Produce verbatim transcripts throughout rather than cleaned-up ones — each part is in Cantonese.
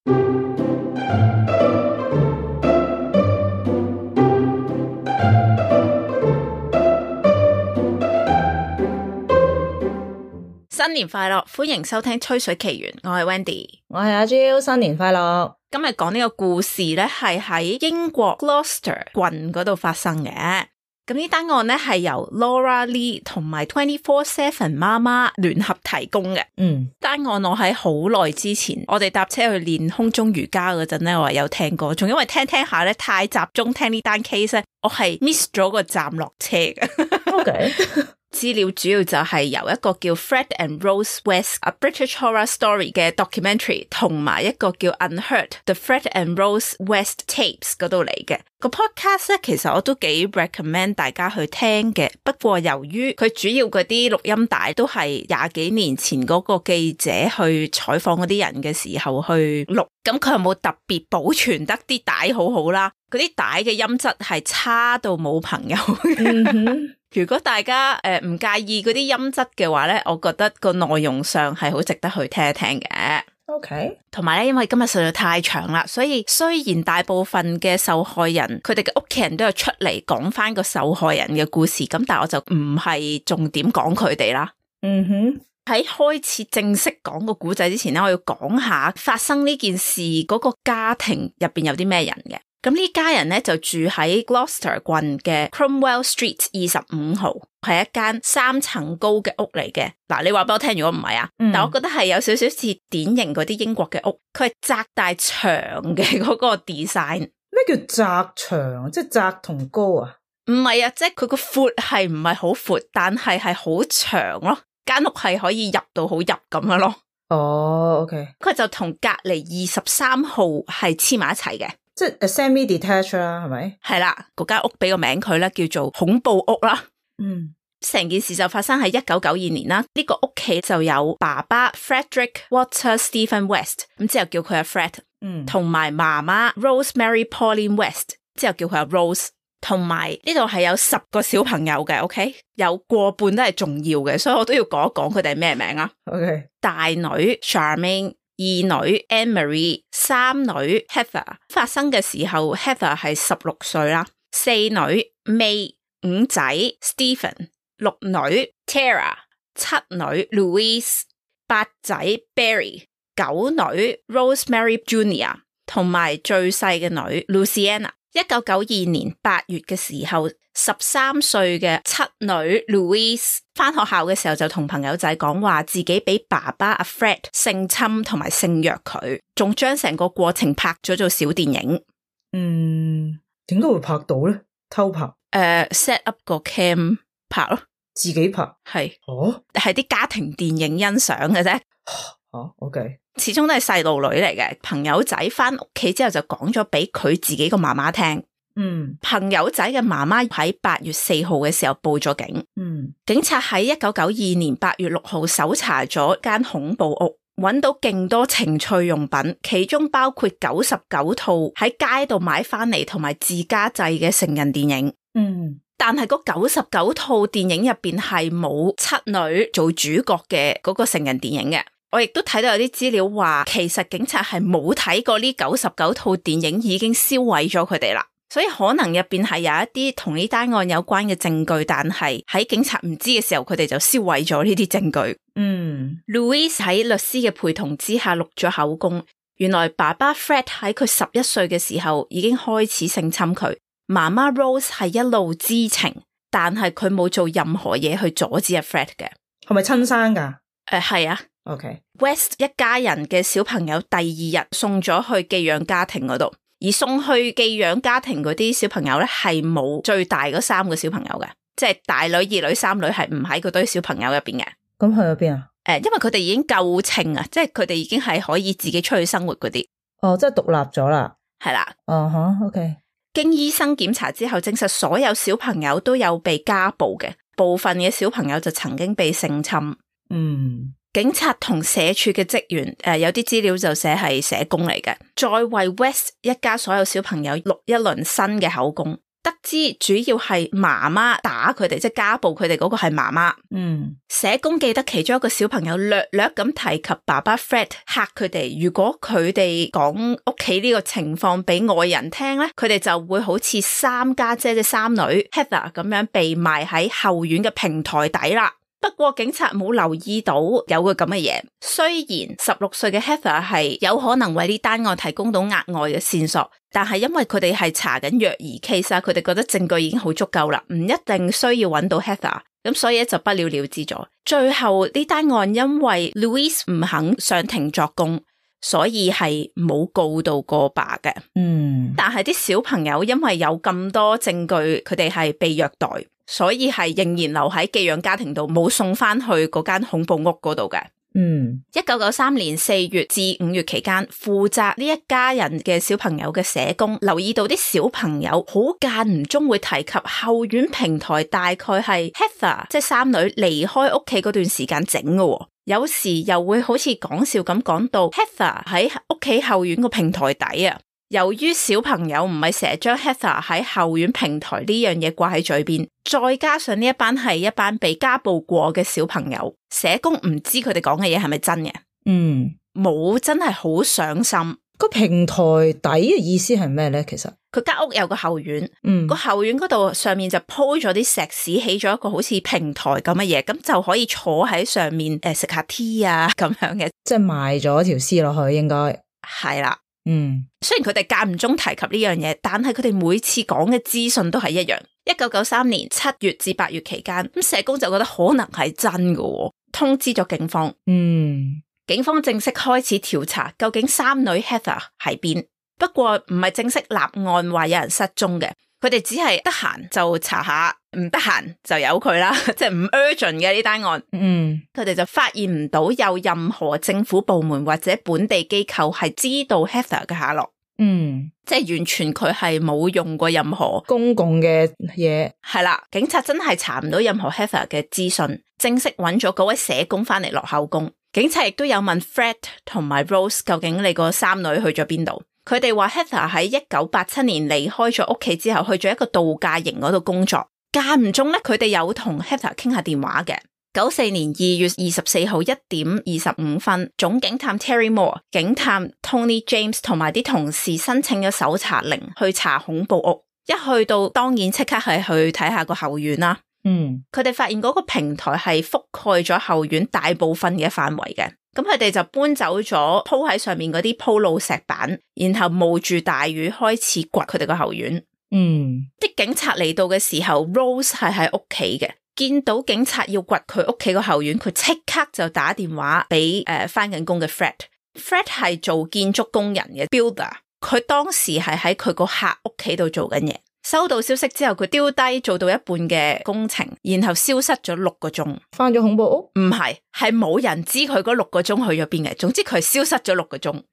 新年快樂，歡迎收聽《吹水奇緣》，我係 Wendy， 我係阿 Jill， 新年快樂。今日講呢個故事咧，係喺英國 Gloucester 郡嗰度發生嘅。咁呢單案咧係由 Laura Lee 同埋 twenty four seven 媽媽聯合提供嘅。嗯，單案我喺好耐之前，我哋搭車去練空中瑜伽嗰陣咧，我係有聽過，仲因為聽聽下咧太集中聽呢單 case 咧，我係 miss 咗個站落車嘅。OK 資料主要就係由一個叫 Fred and Rose West A British Horror Story 嘅 documentary 同埋一個叫 Unheard The Fred and Rose West Tapes 嗰度嚟嘅。個 podcast 咧其實我都幾 recommend 大家去聽嘅，不過由於佢主要嗰啲錄音帶都係廿幾年前嗰個記者去採訪嗰啲人嘅時候去錄，咁佢有冇特別保存得啲帶好好啦？嗰啲帶嘅音質係差到冇朋友嘅。嗯如果大家誒唔、呃、介意嗰啲音質嘅話咧，我覺得個內容上係好值得去聽一聽嘅。OK，同埋咧，因為今日實在太長啦，所以雖然大部分嘅受害人佢哋嘅屋企人都有出嚟講翻個受害人嘅故事，咁但係我就唔係重點講佢哋啦。嗯哼，喺開始正式講個故仔之前咧，我要講下發生呢件事嗰個家庭入邊有啲咩人嘅。咁呢家人咧就住喺 Gloucester 郡嘅 Cromwell Street 二十五號，係一間三層高嘅屋嚟嘅。嗱，你話俾我聽，如果唔係啊，嗯、但我覺得係有少少似典型嗰啲英國嘅屋，佢係窄大長嘅嗰個 design。咩叫窄長？即係窄同高啊？唔係啊，即係佢個闊係唔係好闊，但係係好長咯。間屋係可以入到好入咁樣咯。哦、oh, OK， 佢就同隔籬二十三號係黐埋一齊嘅。即係 semi-detached 啦，係咪？係啦，嗰間屋俾個名佢咧，叫做恐怖屋啦。嗯，成件事就發生喺一九九二年啦。呢個屋企就有爸爸 Frederick Walter Stephen West， 咁之後叫佢阿 Fred， 嗯，同埋媽媽 Rosemary Pauline West， 之後叫佢阿 Rose， 同埋呢度係有十個小朋友嘅 ，OK， 有過半都係重要嘅，所以我都要講一講佢哋係咩名啊。OK， 大女 Charmaine。二女 Anne-Marie， 三女 Heather， 發生嘅時候 Heather 係十六歲啦，四女 May， 五仔 Stephen， 六女 Tara， 七女 Louise， 八仔 Barry， 九女 Rosemary Junior， 同埋最細嘅女 Luciana。一九九二年八月嘅時候，十三歲嘅七女 Louise 返學校嘅時候就同朋友仔講話自己俾爸爸阿 Fred 性侵同埋性虐佢，仲將成個過程拍咗做小電影。嗯，點解會拍到咧？偷拍？誒、uh, set up 個 cam 拍咯，自己拍？係哦，係啲家庭電影欣賞嘅啫。哦 OK， 始終都係細路女嚟嘅。朋友仔返屋企之後就講咗俾佢自己個媽媽聽。嗯，朋友仔嘅媽媽喺八月四號嘅時候報咗警。嗯，警察喺一九九二年八月六號搜查咗間恐怖屋，揾到勁多情趣用品，其中包括九十九套喺街度買翻嚟同埋自家製嘅成人電影。嗯，但係嗰九十九套電影入邊係冇七女做主角嘅嗰個成人電影嘅。我亦都睇到有啲資料話，其實警察係冇睇過呢九十九套電影，已經銷毀咗佢哋啦。所以可能入邊係有一啲同呢單案有關嘅證據，但係喺警察唔知嘅時候，佢哋就銷毀咗呢啲證據。嗯 Louise 喺律師嘅陪同之下錄咗口供，原來爸爸 Fred 喺佢十一歲嘅時候已經開始性侵佢，媽媽 Rose 係一路知情，但係佢冇做任何嘢去阻止阿 Fred 嘅。係咪親生噶？誒係、呃、啊。OK， West 一家人嘅小朋友第二日送咗去寄養家庭嗰度，而送去寄養家庭嗰啲小朋友咧係冇最大嗰三個小朋友嘅，即係大女、二女、三女係唔喺嗰堆小朋友入邊嘅。咁去咗邊啊？誒，因為佢哋已經夠稱啊，即係佢哋已經係可以自己出去生活嗰啲。哦，即係獨立咗啦。係啦。哦哈 OK。經醫生檢查之後，證實所有小朋友都有被家暴嘅，部分嘅小朋友就曾經被性侵。嗯。警察同社署嘅職員，誒、呃、有啲資料就寫係社工嚟嘅，再為 West 一家所有小朋友錄一輪新嘅口供。得知主要係媽媽打佢哋，即係家暴佢哋嗰個係媽媽。嗯，社工記得其中一個小朋友略略咁提及爸爸 Fred 嚇佢哋，如果佢哋講屋企呢個情況俾外人聽咧，佢哋就會好似三家姐即三女 Heather 咁樣被埋喺後院嘅平台底啦。不過警察冇留意到有個咁嘅嘢，雖然十六歲嘅 Heather 係有可能為呢單案提供到額外嘅線索，但係因為佢哋係查緊虐兒 case 啊，佢哋覺得證據已經好足夠啦，唔一定需要揾到 Heather， 咁所以就不了了之咗。最後呢單案因為 Louise 唔肯上庭作供，所以係冇告到過爸嘅。嗯，但係啲小朋友因為有咁多證據，佢哋係被虐待，所以係仍然留喺寄養家庭度，冇送翻去嗰間恐怖屋嗰度嘅。嗯，一九九三年四月至五月期間，負責呢一家人嘅小朋友嘅社工留意到啲小朋友好間唔中會提及後院平台大概係 Heather 即係三女離開屋企嗰段時間整嘅，有時又會好似講笑咁講到 Heather 喺屋企後院個平台底啊。由於小朋友唔係成日將 Heather 喺後院平台呢樣嘢掛喺嘴邊，再加上呢一班係一班被家暴過嘅小朋友，社工唔知佢哋講嘅嘢係咪真嘅。嗯，冇真係好上心。個平台底嘅意思係咩咧？其實佢間屋有個後院，嗯，個後院嗰度上面就鋪咗啲石屎，起咗一個好似平台咁嘅嘢，咁就可以坐喺上面誒食下 tea 啊咁樣嘅，即係埋咗條屍落去，應該係啦。嗯，雖然佢哋間唔中提及呢樣嘢，但係佢哋每次講嘅資訊都係一樣。一九九三年七月至八月期間，咁社工就覺得可能係真嘅，通知咗警方。嗯，警方正式開始調查究竟三女 Heather 喺邊。不過唔係正式立案話有人失蹤嘅，佢哋只係得閒就查下，唔得閒就由佢啦，即係唔 urgent 嘅呢單案。嗯，佢哋就發現唔到有任何政府部門或者本地機構係知道 Heather 嘅下落。嗯，即係完全佢係冇用過任何公共嘅嘢。係啦，警察真係查唔到任何 Heather 嘅資訊，正式揾咗嗰位社工翻嚟落口供。警察亦都有問 Fred 同埋 Rose 究竟你個三女去咗邊度。佢哋話 Heather 喺一九八七年離開咗屋企之後，去咗一個度假營嗰度工作。間唔中咧，佢哋有同 Heather 傾下電話嘅。九四年二月二十四號一點二十五分，總警探 Terry Moore、警探 Tony James 同埋啲同事申請咗搜查令去查恐怖屋。一去到，當然即刻係去睇下個後院啦。嗯，佢哋發現嗰個平台係覆蓋咗後院大部分嘅範圍嘅。咁佢哋就搬走咗鋪喺上面嗰啲鋪路石板，然後冒住大雨開始掘佢哋個後院。嗯，啲警察嚟到嘅時候 Rose 係喺屋企嘅，見到警察要掘佢屋企個後院，佢即刻就打電話俾誒返緊工嘅 Fred。Fred 係做建築工人嘅 builder， 佢當時係喺佢個客屋企度做緊嘢。收到消息之後，佢丟低做到一半嘅工程，然後消失咗六個鐘。返咗恐怖屋？唔係，係冇人知佢嗰六個鐘去咗邊嘅。總之佢消失咗六個鐘，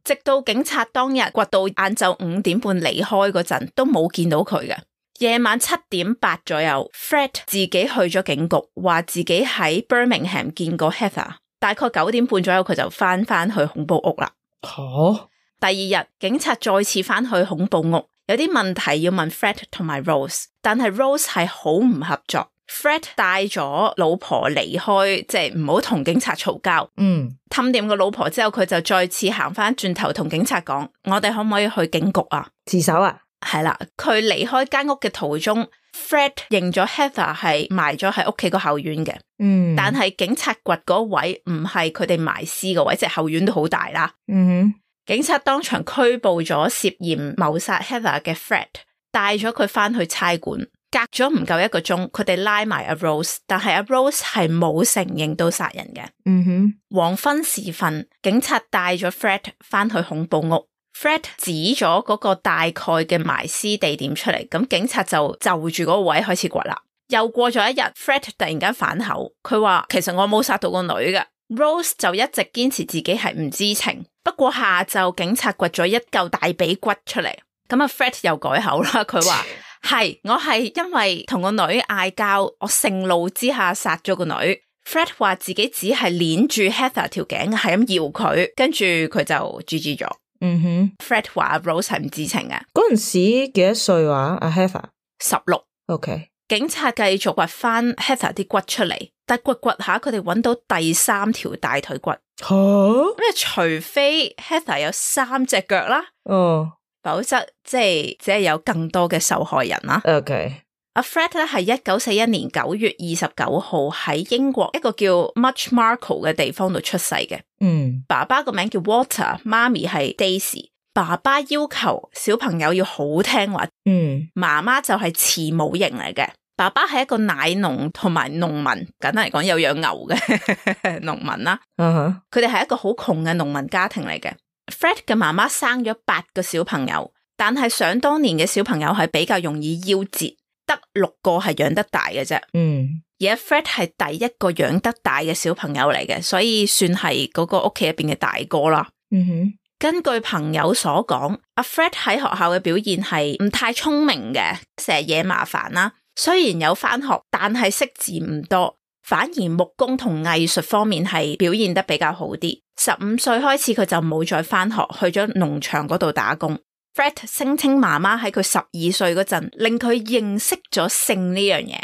直到警察當日掘到晏晝五點半離開嗰陣，都冇見到佢嘅。夜晚七點八左右 ，Fred 自己去咗警局，話自己喺 Birmingham 見過 Heather。大概九點半左右，佢就返返去恐怖屋啦。吓！第二日，警察再次返去恐怖屋。有啲問題要問 Fred 同埋 Rose， 但係 Rose 係好唔合作。Fred 帶咗老婆離開，即係唔好同警察嘈交。嗯，氹掂個老婆之後，佢就再次行翻轉頭同警察講：我哋可唔可以去警局啊？自首啊？係啦，佢離開間屋嘅途中 ，Fred 認咗 Heather 係埋咗喺屋企個後院嘅。嗯，但係警察掘嗰位唔係佢哋埋屍個位，即係後院都好大啦。嗯哼。警察當場拘捕咗涉嫌謀殺 Heather 嘅 Fred， 帶咗佢翻去差館。隔咗唔夠一個鐘，佢哋拉埋阿 Rose， 但係阿 Rose 係冇承認到殺人嘅。嗯哼。黃昏時分，警察帶咗 Fred 翻去恐怖屋。Fred 指咗嗰個大概嘅埋屍地點出嚟，咁警察就就住嗰個位開始掘啦。又過咗一日 ，Fred 突然間反口，佢話其實我冇殺到個女嘅。Rose 就一直堅持自己係唔知情。不過下晝警察掘咗一嚿大髀骨出嚟，咁阿 Fred 又改口啦，佢話係我係因為同個女嗌交，我盛怒之下殺咗個女。Fred 話自己只係鏈住 Heather 條頸，係咁搖佢，跟住佢就 G G 咗。嗯哼 ，Fred 話 Rose 係唔知情嘅。嗰陣時幾多歲話阿 Heather？十六。OK， 警察繼續掘翻 Heather 啲骨出嚟，但掘掘下佢哋揾到第三條大腿骨。吓，咁啊，除非 Heather 有三隻腳啦，哦，否則即係只係有更多嘅受害人啦。OK。阿 Fred 咧係一九四一年九月二十九號喺英國一個叫 Muchmarcle 嘅地方度出世嘅。嗯，爸爸個名叫 Walter， 媽咪係 Daisy。爸爸要求小朋友要好聽話，嗯，媽媽就係慈母型嚟嘅。爸爸係一個奶農同埋農民，簡單嚟講有養牛嘅農民啦。嗯，佢哋係一個好窮嘅農民家庭嚟嘅。Fred 嘅媽媽生咗八個小朋友，但係想當年嘅小朋友係比較容易夭折。得六個係養得大嘅啫，嗯，而阿 Fred 係第一個養得大嘅小朋友嚟嘅，所以算係嗰個屋企入邊嘅大哥啦。嗯哼，根據朋友所講，阿 Fred 喺學校嘅表現係唔太聰明嘅，成日惹麻煩啦。雖然有返學，但係識字唔多，反而木工同藝術方面係表現得比較好啲。十五歲開始佢就冇再返學，去咗農場嗰度打工。Fred 聲稱媽媽喺佢十二歲嗰陣令佢認識咗性呢樣嘢。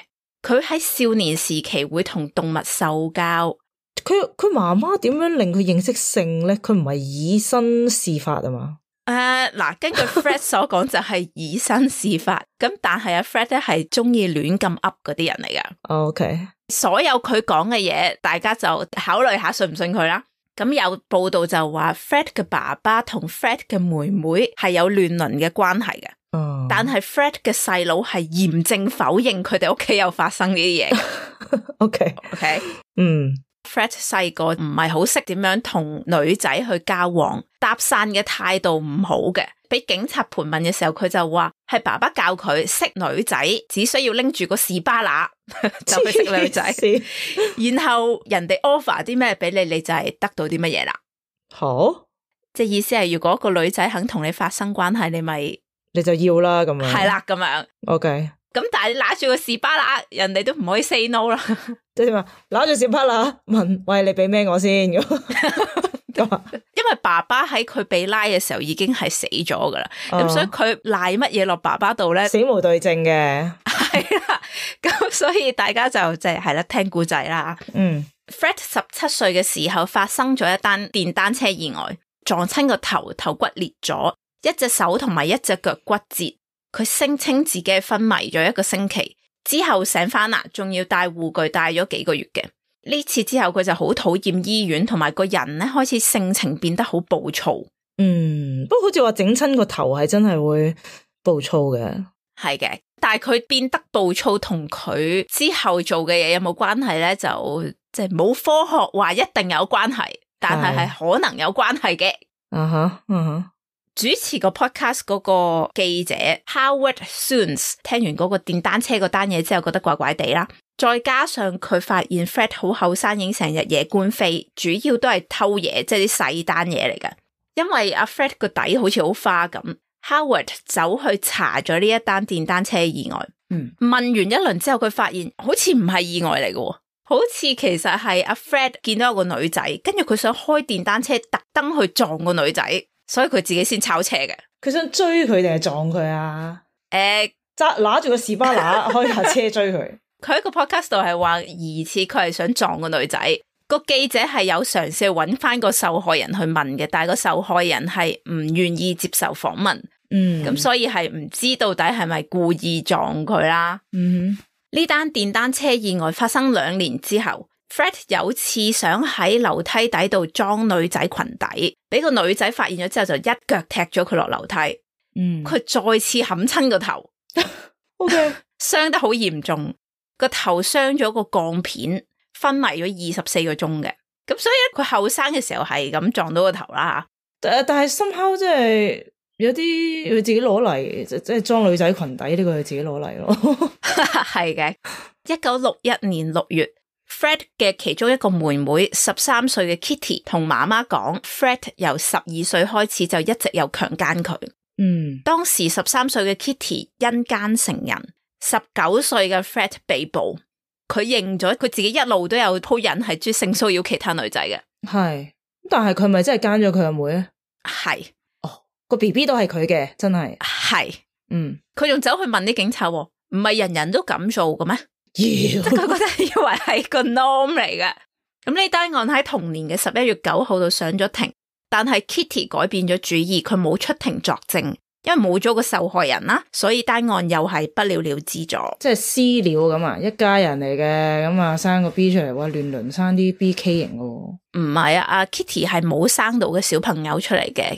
佢喺少年時期會同動物獸交。佢佢媽媽點樣令佢認識性咧？佢唔係以身試法啊嘛？誒，嗱，根據 Fred 所講就係以身試法。咁但係阿 Fred 咧係中意亂咁噏嗰啲人嚟噶。OK， 所有佢講嘅嘢，大家就考慮下信唔信佢啦。咁有報道就話 Fred 嘅爸爸同 Fred 嘅妹妹係有亂倫嘅關係嘅，嗯、但係 Fred 嘅細佬係嚴正否認佢哋屋企有發生呢啲嘢。OK OK， 嗯 ，Fred 細個唔係好識點樣同女仔去交往，搭訕嘅態度唔好嘅。俾警察盤問嘅時候，佢就話係爸爸教佢識女仔，只需要拎住個士巴拿就去識女仔，然後人哋 offer 啲咩俾你，你就係得到啲乜嘢啦。好，即係意思係，如果個女仔肯同你發生關係，你咪你就要啦咁樣。係啦，咁樣。OK，咁但係你拿住個士巴拿，人哋都唔可以 say no 啦。即係點啊？拿住士巴拿問，喂，你俾咩我先？因為爸爸喺佢被拉嘅時候已經係死咗噶啦，咁、uh, 所以佢賴乜嘢落爸爸度咧？死無對證嘅，係啦，咁所以大家就即係係啦，聽故仔啦。嗯 ，Fred 十七歲嘅時候發生咗一單電單車意外，撞親個頭，頭骨裂咗，一隻手同埋一隻腳骨折。佢聲稱自己係昏迷咗一個星期，之後醒翻啦，仲要帶護具帶咗幾個月嘅。呢次之後佢就好討厭醫院，同埋個人咧開始性情變得好暴躁。嗯，不過好似話整親個頭係真係會暴躁嘅。係嘅，但係佢變得暴躁同佢之後做嘅嘢有冇關係咧？就即係冇科學話一定有關係，但係係可能有關係嘅。啊哈，嗯哼。主持個 podcast 嗰個記者 Howard Soons 聽完嗰個電單車嗰單嘢之後覺得怪怪地啦，再加上佢發現 Fred 好後生已經成日惹官非，主要都係偷嘢，即係啲細單嘢嚟㗎。因為阿 Fred 個底好似好花咁， Howard 走去查咗呢一單電單車意外。嗯，問完一輪之後佢發現好似唔係意外嚟嘅，好似其實係阿 Fred 見到有個女仔，跟住佢想開電單車特登去撞個女仔，所以佢自己先炒車嘅。佢想追佢定係撞佢啊？誒、欸，揸拿住個士巴拿開下車追佢。佢喺個 podcast 度係話疑似佢係想撞個女仔。個記者係有嘗試去揾翻個受害人去問嘅，但係個受害人係唔願意接受訪問。嗯，咁所以係唔知到底係咪故意撞佢啦。嗯，呢單電單車意外發生兩年之後， Fred 有次想喺樓梯底度裝女仔裙底，俾個女仔發現咗之後就一腳踢咗佢落樓梯。嗯，佢再次冚親個頭。OK， 傷得好嚴重，個頭傷咗個鋼片，昏迷咗二十四個鐘嘅。咁所以佢後生嘅時候係咁撞到個頭啦。但係 somehow 即係有啲佢自己攞嚟，即係裝女仔裙底呢個係自己攞嚟咯。係嘅。一九六一年六月，Fred 嘅其中一個妹妹十三歲嘅 Kitty 同媽媽講 Fred 由十二歲開始就一直有強姦佢。嗯，當時十三歲嘅 Kitty 因姦成人，十九歲嘅 Fred 被捕。佢認咗佢自己一路都有鋪癮係中意性騷擾其他女仔嘅。係，但係佢咪真係姦咗佢阿妹咧？係，哦，個 B B 都係佢嘅，真係。係，嗯，佢仲走去問啲警察，問唔係人人都咁做嘅咩？即係佢覺得以為係個 norm 嚟嘅。咁呢單案喺同年嘅十一月九號度上咗庭，但係 Kitty 改變咗主意，佢冇出庭作證。因為冇咗個受害人啦，所以單案又係不了了之咗。即係私了咁啊，一家人嚟嘅，咁啊生個 B 出嚟，話亂倫生啲 B K 型嘅。唔係啊，阿 Kitty 係冇生到嘅小朋友出嚟嘅。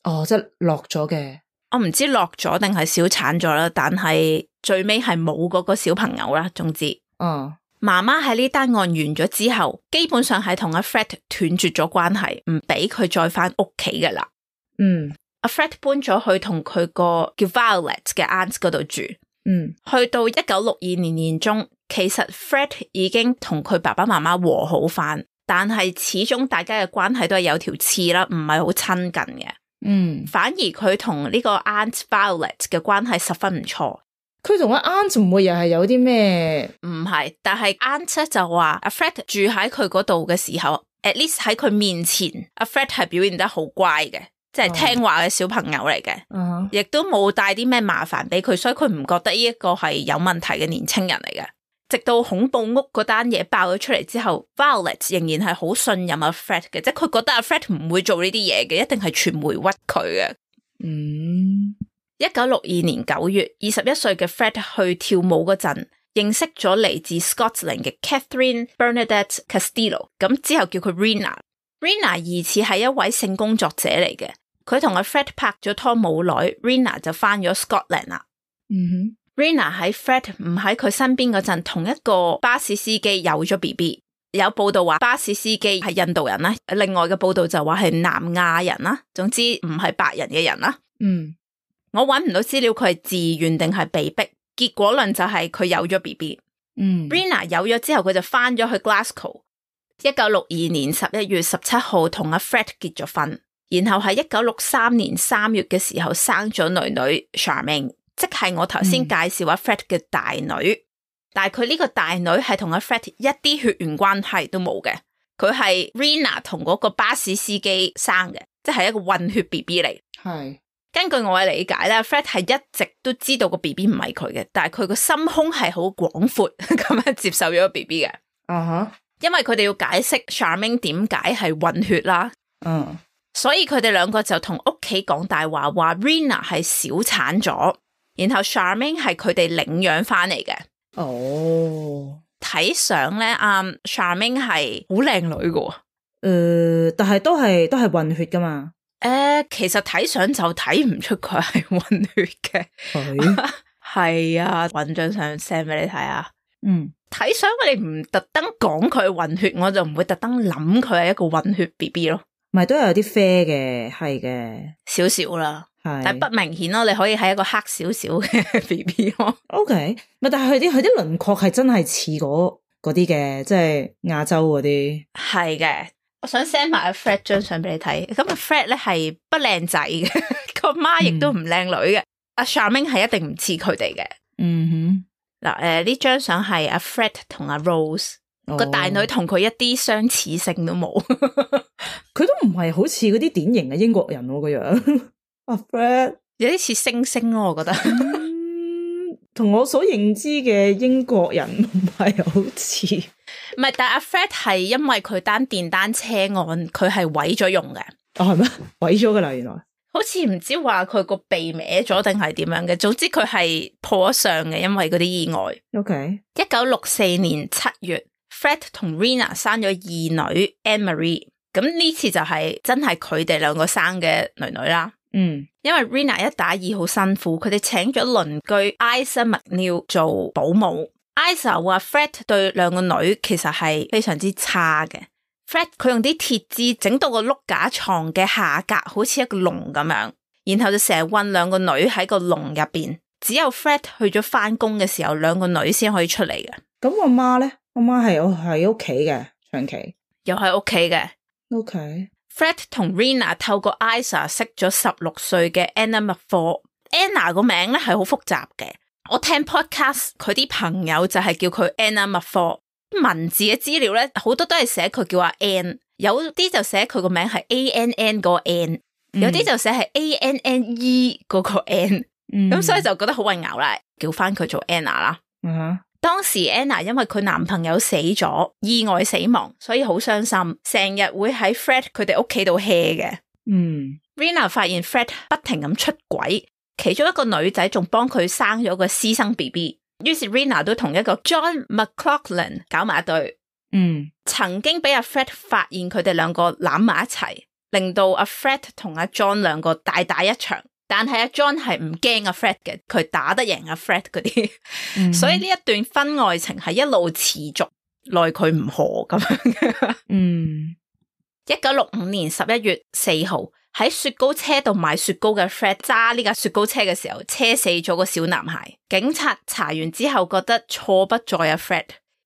哦，即係落咗嘅。我唔知落咗定係小產咗啦，但係最尾係冇嗰個小朋友啦。總之，哦，媽媽喺呢單案完咗之後，基本上係同阿 Fred 斷絕咗關係，唔俾佢再翻屋企㗎啦。嗯。阿 Fred 搬咗去同佢個叫 Violet 嘅 aunt 嗰度住，嗯，去到一九六二年年中，其實 Fred 已經同佢爸爸媽媽和好翻，但係始終大家嘅關係都係有條刺啦，唔係好親近嘅。嗯，反而佢同呢個 aunt Violet 嘅關係十分唔錯。佢同阿 aunt 唔會又係有啲咩？唔係，但係 aunt 咧就話阿 Fred 住喺佢嗰度嘅時候 ，at least 喺佢面前，阿 Fred 係表現得好乖嘅。即係聽話嘅小朋友嚟嘅，亦、uh-huh. 都冇帶啲咩麻煩俾佢，所以佢唔覺得呢一個係有問題嘅年青人嚟嘅。直到恐怖屋嗰單嘢爆咗出嚟之後 ，Violet 仍然係好信任阿 Fred 嘅，即係佢覺得阿 Fred 唔會做呢啲嘢嘅，一定係傳媒屈佢嘅。嗯，一九六二年九月，二十一歲嘅 Fred 去跳舞嗰陣，認識咗嚟自 Scotland 嘅 Catherine Bernadette Castillo， 咁之後叫佢 Rena。Rena 疑似係一位性工作者嚟嘅。佢同阿 Fred 拍咗拖冇耐 ，Rena 就翻咗 Scotland 啦。嗯哼 ，Rena 喺 Fred 唔喺佢身邊嗰陣，同一個巴士司機有咗 B B。有報道話巴士司機係印度人啦，另外嘅報道就話係南亞人啦。總之唔係白人嘅人啦。嗯，我揾唔到資料，佢係自願定係被逼。結果論就係佢有咗 B B。嗯 ，Rena 有咗之後，佢就翻咗去 Glasgow。一九六二年十一月十七號同阿 Fred 結咗婚。然後喺一九六三年三月嘅時候生咗女女 Charmaine， 即係我頭先介紹阿 Fred 嘅大女，嗯、但係佢呢個大女係同阿 Fred 一啲血緣關係都冇嘅，佢係 Rena 同嗰個巴士司機生嘅，即係一個混血 B B 嚟。係根據我嘅理解咧 ，Fred 係一直都知道個 B B 唔係佢嘅，但係佢個心胸係好廣闊咁樣接受咗個 B B 嘅。啊哈，因為佢哋要解釋 Charmaine 點解係混血啦。嗯、uh-huh.。所以佢哋兩個就同屋企講大話，話 Rena 係小產咗，然後 Charmaine 係佢哋領養翻嚟嘅。哦，睇相咧，阿、um, Charmaine 係好靚女噶。誒、呃，但係都係都係混血噶嘛？誒、呃，其實睇相就睇唔出佢係混血嘅。係係啊，搵張相 send 俾你睇啊。嗯，睇相你唔特登講佢混血，我就唔會特登諗佢係一個混血 B B 咯。咪都有啲啡嘅，係嘅，少少啦，係，但係不明顯咯。你可以係一個黑少少嘅 B B 咯。O K，咪但係佢啲佢啲輪廓係真係似嗰嗰啲嘅，即係亞洲嗰啲。係嘅，我想 send 埋阿 Fred 張相俾你睇。咁阿 Fred 咧係不靚仔嘅，個媽亦都唔靚女嘅。阿 Charmaine 係一定唔似佢哋嘅。嗯哼，嗱，誒呢張相係阿 Fred 同阿 Rose。個、oh. 大女同佢一啲相似性都冇，佢都唔係好似嗰啲典型嘅英國人喎個樣。阿 Fred 有啲似星星咯，我覺得。同、嗯、我所認知嘅英國人唔係好似。唔係，但係阿 Fred 係因為佢單電單車案，佢係毀咗容嘅。哦，係咩？毀咗噶啦，原來。好似唔知話佢個鼻歪咗定係點樣嘅，總之佢係破咗相嘅，因為嗰啲意外。OK。一九六四年七月。Fred 同 Rena 生咗二女 Anne-Marie， 咁呢次就係真係佢哋兩個生嘅女女啦。嗯，因為 Rena 一打二好辛苦，佢哋請咗鄰居 Isa McNeil 做保姆。Isa 話 Fred 對兩個女其實係非常之差嘅。Fred 佢用啲鐵枝整到個碌架床嘅下格好似一個籠咁樣，然後就成日韞兩個女喺個籠入邊，只有 Fred 去咗翻工嘅時候，兩個女先可以出嚟嘅。咁我媽咧？我媽係我喺屋企嘅，長期又喺屋企嘅。OK。Fred 同 Rena 透過 Isa 識咗十六歲嘅 Anna McFall。Anna 個名咧係好複雜嘅，我聽 podcast 佢啲朋友就係叫佢 Anna McFall。文字嘅資料咧好多都係寫佢叫阿 Ann， 有啲就寫佢個名係 A N N 個 N， 有啲就寫係 A N N E 嗰個 N，咁、嗯、所以就覺得好混淆啦。叫翻佢做 Anna 啦。嗯哼，當時 Anna 因為佢男朋友死咗，意外死亡，所以好傷心，成日會喺 Fred 佢哋屋企度 hea 嘅。嗯 Rena 發現 Fred 不停咁出軌，其中一個女仔仲幫佢生咗個私生 B B， 於是 Rena 都同一個 John McLaughlin 搞埋一對。嗯，曾經俾阿 Fred 發現佢哋兩個攬埋一齊，令到阿 Fred 同阿 John 兩個大打一場。但係阿 John 係唔驚阿 Fred 嘅，佢打得贏阿 Fred 嗰啲，嗯、所以呢一段婚外情係一路持續，奈佢唔何咁樣嘅。嗯，一九六五年十一月四號喺雪糕車度買雪糕嘅 Fred 揸呢架雪糕車嘅時候，車死咗個小男孩。警察查完之後覺得錯不在阿 Fred。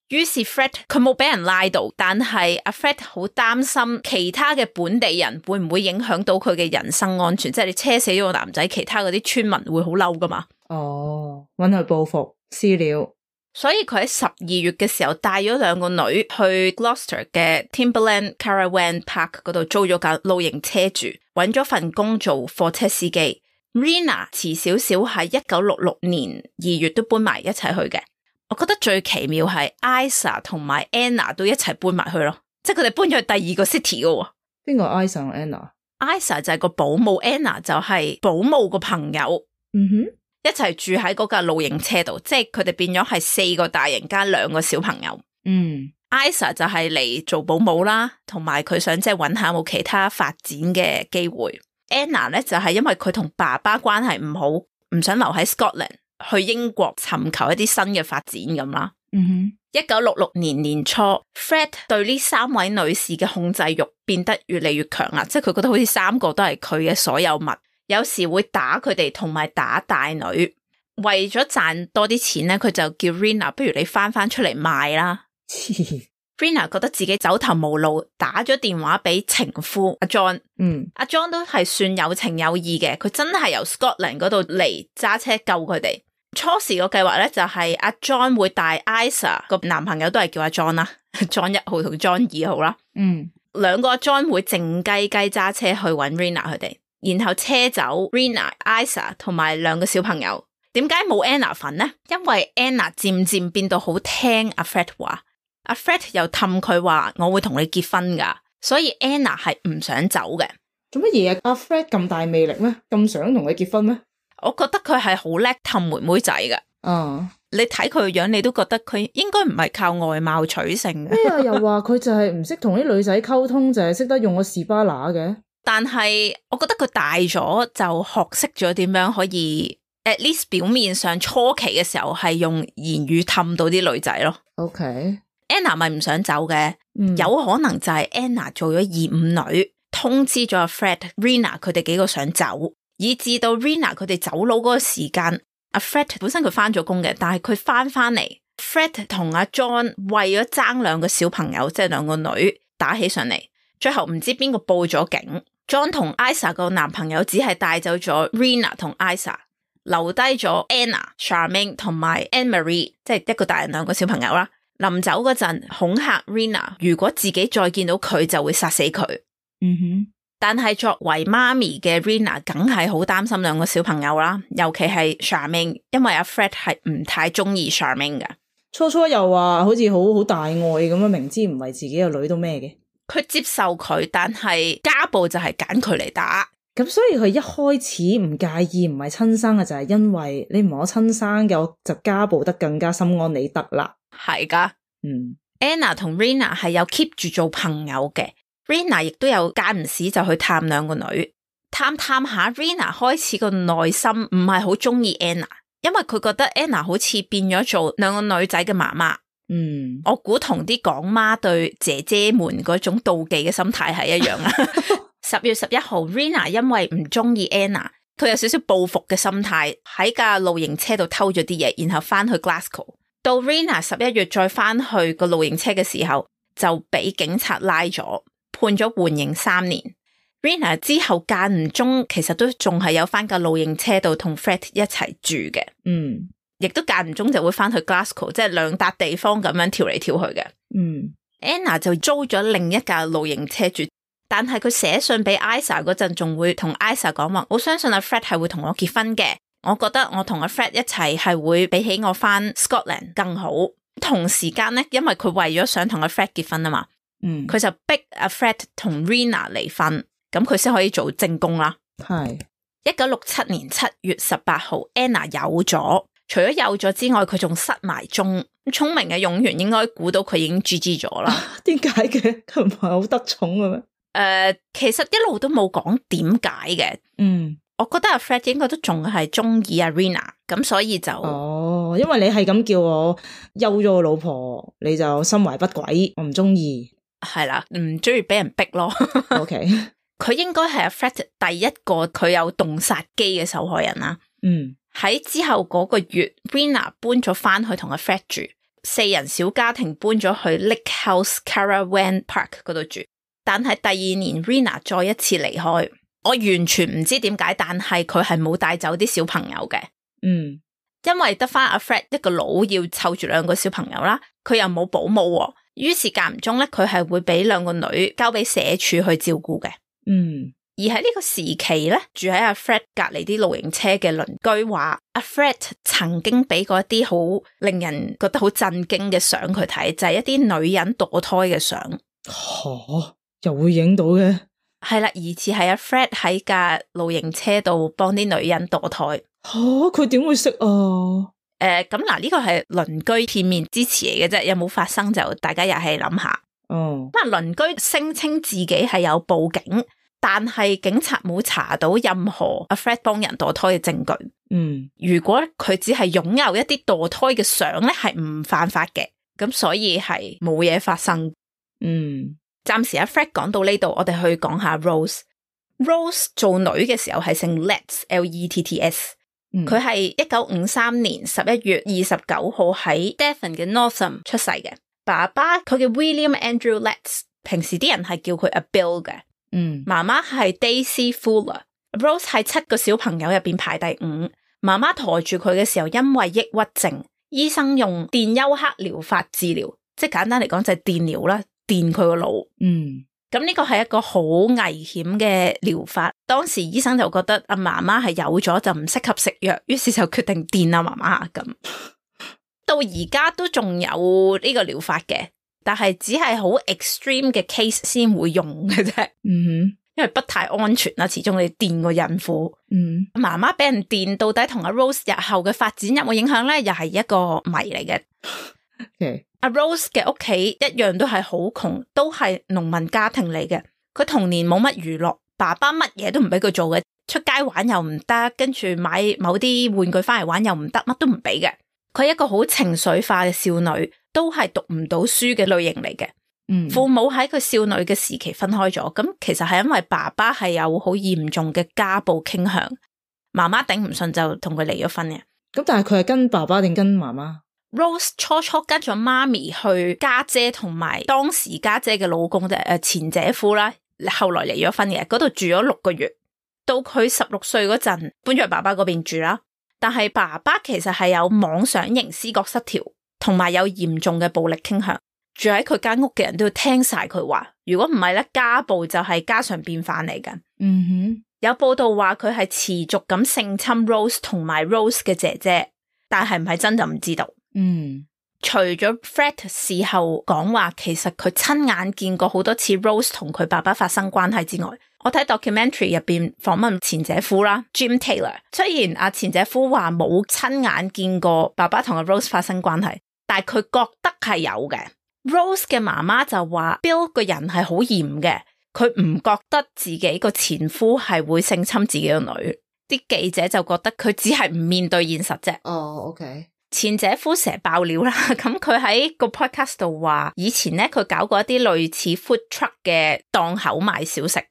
於是 Fred 佢冇俾人拉到，但係阿 Fred 好擔心其他嘅本地人會唔會影響到佢嘅人身安全，即係你車死咗個男仔，其他嗰啲村民會好嬲噶嘛。哦，搵佢報復私了。所以佢喺十二月嘅時候帶咗兩個女去 Gloucester 嘅 Timberland Caravan Park 嗰度租咗架露營車住，搵咗份工做貨車司機。Rena 遲少少喺一九六六年二月都搬埋一齊去嘅。我覺得最奇妙係 Isa 同埋 Anna 都一齊搬埋去咯，即係佢哋搬咗去第二個 city 嘅。邊個 Isa 同 Anna？Isa 就係個保姆， Anna 就係保姆個朋友。嗯哼，一齊住喺嗰架露營車度，即係佢哋變咗係四個大人加兩個小朋友。嗯 Isa 就係嚟做保姆啦，同埋佢想即係揾下有冇其他發展嘅機會。Anna 咧就係因為佢同爸爸關係唔好，唔想留喺 Scotland。去英國尋求一啲新嘅發展咁啦。嗯哼，一九六六年年初 Fred 對呢三位女士嘅控制欲變得越嚟越強啦，即係佢覺得好似三個都係佢嘅所有物，有時會打佢哋同埋打大女。為咗賺多啲錢咧，佢就叫 Rena 不如你翻翻出嚟賣啦。Rena 覺得自己走投無路，打咗電話俾情夫阿 John。嗯，阿 John 都係算有情有義嘅，佢真係由 Scotland 嗰度嚟揸車救佢哋。初時個計劃咧就係阿 John 會帶 Isa 個男朋友都係叫阿 John 啦，John 一號同 John 二號啦。嗯，兩個阿 John 會靜雞雞揸車去搵 Rena 佢哋，然後車走 Rena、Isa 同埋兩個小朋友。點解冇 Anna 份呢？因為 Anna 漸漸變到好聽阿 Fred 話，阿 Fred 又氹佢話我會同你結婚噶，所以 Anna 係唔想走嘅。做乜嘢啊？阿 Fred 咁大魅力咩？咁想同佢結婚咩？我覺得佢係好叻氹妹妹仔㗎。嗯，你睇佢個樣，你都覺得佢應該唔係靠外貌取勝嘅。咩啊？又話佢就係唔識同啲女仔溝通，就係識得用個士巴拿嘅。但係我覺得佢大咗就學識咗點樣可以 at least 表面上初期嘅時候係用言語氹到啲女仔咯。OK，Anna 咪唔想走嘅。嗯，有可能就係 Anna 做咗二五女，通知咗阿 Fred、Rena 佢哋幾個想走。以至到 Rena 佢哋走佬嗰個時間，阿 Fred 本身佢翻咗工嘅，但係佢翻翻嚟 ，Fred 同阿 John 為咗爭兩個小朋友，即係兩個女打起上嚟，最後唔知邊個報咗警。John 同 Isa 個男朋友只係帶走咗 Rena 同 Isa， 留低咗 Anna、Charmaine 同埋 Anne-Marie， 即係一個大人兩個小朋友啦。臨走嗰陣恐嚇 Rena， 如果自己再見到佢就會殺死佢。嗯哼。但係作為媽咪嘅 Rena 梗係好擔心兩個小朋友啦，尤其係 Charmaine， 因為阿 Fred 係唔太中意 Charmaine 嘅。初初又話好似好好大愛咁樣，明知唔係自己個女都咩嘅。佢接受佢，但係家暴就係揀佢嚟打。咁所以佢一開始唔介意唔係親生嘅，就係因為你唔係我親生嘅，我就家暴得更加心安理得啦。係噶，嗯 ，Anna 同 Rena 係有 keep 住做朋友嘅。Rena 亦都有間唔時就去探兩個女，探探下 Rena 開始個內心唔係好中意 Anna， 因為佢覺得 Anna 好似變咗做兩個女仔嘅媽媽。嗯，我估同啲港媽對姐姐們嗰種妒忌嘅心態係一樣啦。十月十一號 Rena 因為唔中意 Anna， 佢有少少報復嘅心態，喺架露營車度偷咗啲嘢，然後翻去 Glasgow。到 Rena 十一月再翻去個露營車嘅時候，就俾警察拉咗。判咗緩刑三年。Rena 之後間唔中其實都仲係有翻架露營車度同 Fred 一齊住嘅。嗯，亦都間唔中就會翻去 Glasgow， 即係兩笪地方咁樣跳嚟跳去嘅。嗯 ，Anna 就租咗另一架露營車住，但係佢寫信俾 Isa 嗰陣仲會同 Isa 講話，我相信阿 Fred 係會同我結婚嘅，我覺得我同阿 Fred 一齊係會比起我翻 Scotland 更好。同時間咧，因為佢為咗想同阿 Fred 結婚啊嘛，嗯，佢就逼阿 Fred 同 Rena 離婚，咁佢先可以做正宮啦。係一九六七年七月十八號 Anna 有咗，除咗有咗之外，佢仲失埋蹤。聰明嘅用員應該估到佢已經 G G 咗啦。點解嘅？佢唔係好得寵嘅咩？誒、呃，其實一路都冇講點解嘅。嗯。我覺得阿 Fred 應該都仲係中意阿 Rena， 咁所以就哦，因為你係咁叫我休咗個老婆，你就心懷不軌，我唔中意。係啦，唔中意俾人逼咯。OK，佢應該係阿 Fred 第一個佢有動殺機嘅受害人啦。嗯，喺之後嗰個月 ，Rena 搬咗翻去同阿 Fred 住，四人小家庭搬咗去 Lake House Caravan Park 嗰度住。但係第二年 Rena 再一次離開。我完全唔知點解，但係佢係冇帶走啲小朋友嘅。嗯，因為得翻阿 Fred 一個佬要湊住兩個小朋友啦，佢又冇保姆，於是間唔中咧，佢係會俾兩個女交俾社署去照顧嘅。嗯，而喺呢個時期咧，住喺阿 Fred 隔籬啲露營車嘅鄰居話，阿 Fred 曾經俾過一啲好令人覺得好震驚嘅相佢睇，就係、是、一啲女人墮胎嘅相。吓、哦，又會影到嘅？係啦，疑似係阿 Fred 喺架露營車度幫啲女人墮胎。吓，佢點會識啊？誒、呃，咁嗱，呢個係鄰居片面之詞嚟嘅啫，有冇發生就大家又係諗下。哦，咁啊，鄰居聲稱自己係有報警，但係警察冇查到任何阿 Fred 幫人墮胎嘅證據。嗯，如果佢只係擁有一啲墮胎嘅相咧，係唔犯法嘅，咁所以係冇嘢發生。嗯。暫時阿 Fred 講到呢度，我哋去講下 Rose。Rose 做女嘅時候係姓 Letts L E T T S，佢係一九五三年十一月二十九號喺 Devon 嘅 Northam 出世嘅。爸爸佢嘅 William Andrew Letts， 平時啲人係叫佢阿 Bill 嘅。嗯，媽媽係 Daisy Fuller。Rose 係七個小朋友入邊排第五。媽媽抬住佢嘅時候，因為抑鬱症，醫生用電休克療法治療，即係簡單嚟講就係電療啦。電佢個腦，嗯，咁呢個係一個好危險嘅療法。當時醫生就覺得阿媽媽係有咗就唔適合食藥，於是就決定電阿媽媽咁。到而家都仲有呢個療法嘅，但係只係好 extreme 嘅 case 先會用嘅啫。嗯哼，因為不太安全啦，始終你電個孕婦。嗯，媽媽俾人電到底同阿 Rose 日後嘅發展有冇影響咧？又係一個謎嚟嘅。Okay. 阿 Rose 嘅屋企一樣都係好窮，都係農民家庭嚟嘅。佢童年冇乜娛樂，爸爸乜嘢都唔俾佢做嘅，出街玩又唔得，跟住買某啲玩具翻嚟玩又唔得，乜都唔俾嘅。佢係一個好情緒化嘅少女，都係讀唔到書嘅類型嚟嘅。嗯，父母喺佢少女嘅時期分開咗，咁其實係因為爸爸係有好嚴重嘅家暴傾向，媽媽頂唔順就同佢離咗婚嘅。咁但係佢係跟爸爸定跟媽媽？Rose 初初跟咗媽咪去家姐同埋當時家姐嘅老公誒前姐夫啦，後來離咗婚嘅，嗰度住咗六個月，到佢十六歲嗰陣搬咗去爸爸嗰邊住啦。但係爸爸其實係有妄想型思覺失調，同埋有嚴重嘅暴力傾向，住喺佢間屋嘅人都要聽晒佢話，如果唔係咧，家暴就係家常便飯嚟嘅。嗯哼，有報道話佢係持續咁性侵 Rose 同埋 Rose 嘅姐姐，但係唔係真就唔知道。嗯，除咗 Fred 事後講話，其實佢親眼見過好多次 Rose 同佢爸爸發生關係之外，我睇 documentary 入邊訪問前姐夫啦 Jim Taylor， 雖然阿前姐夫話冇親眼見過爸爸同阿 Rose 發生關係，但係佢覺得係有嘅。Rose 嘅媽媽就話 Bill 個人係好嚴嘅，佢唔覺得自己個前夫係會性侵自己個女。啲記者就覺得佢只係唔面對現實啫。哦、oh, OK。前姐夫成日爆料啦，咁佢喺個 podcast 度話，以前咧佢搞過一啲類似 food truck 嘅檔口賣小食，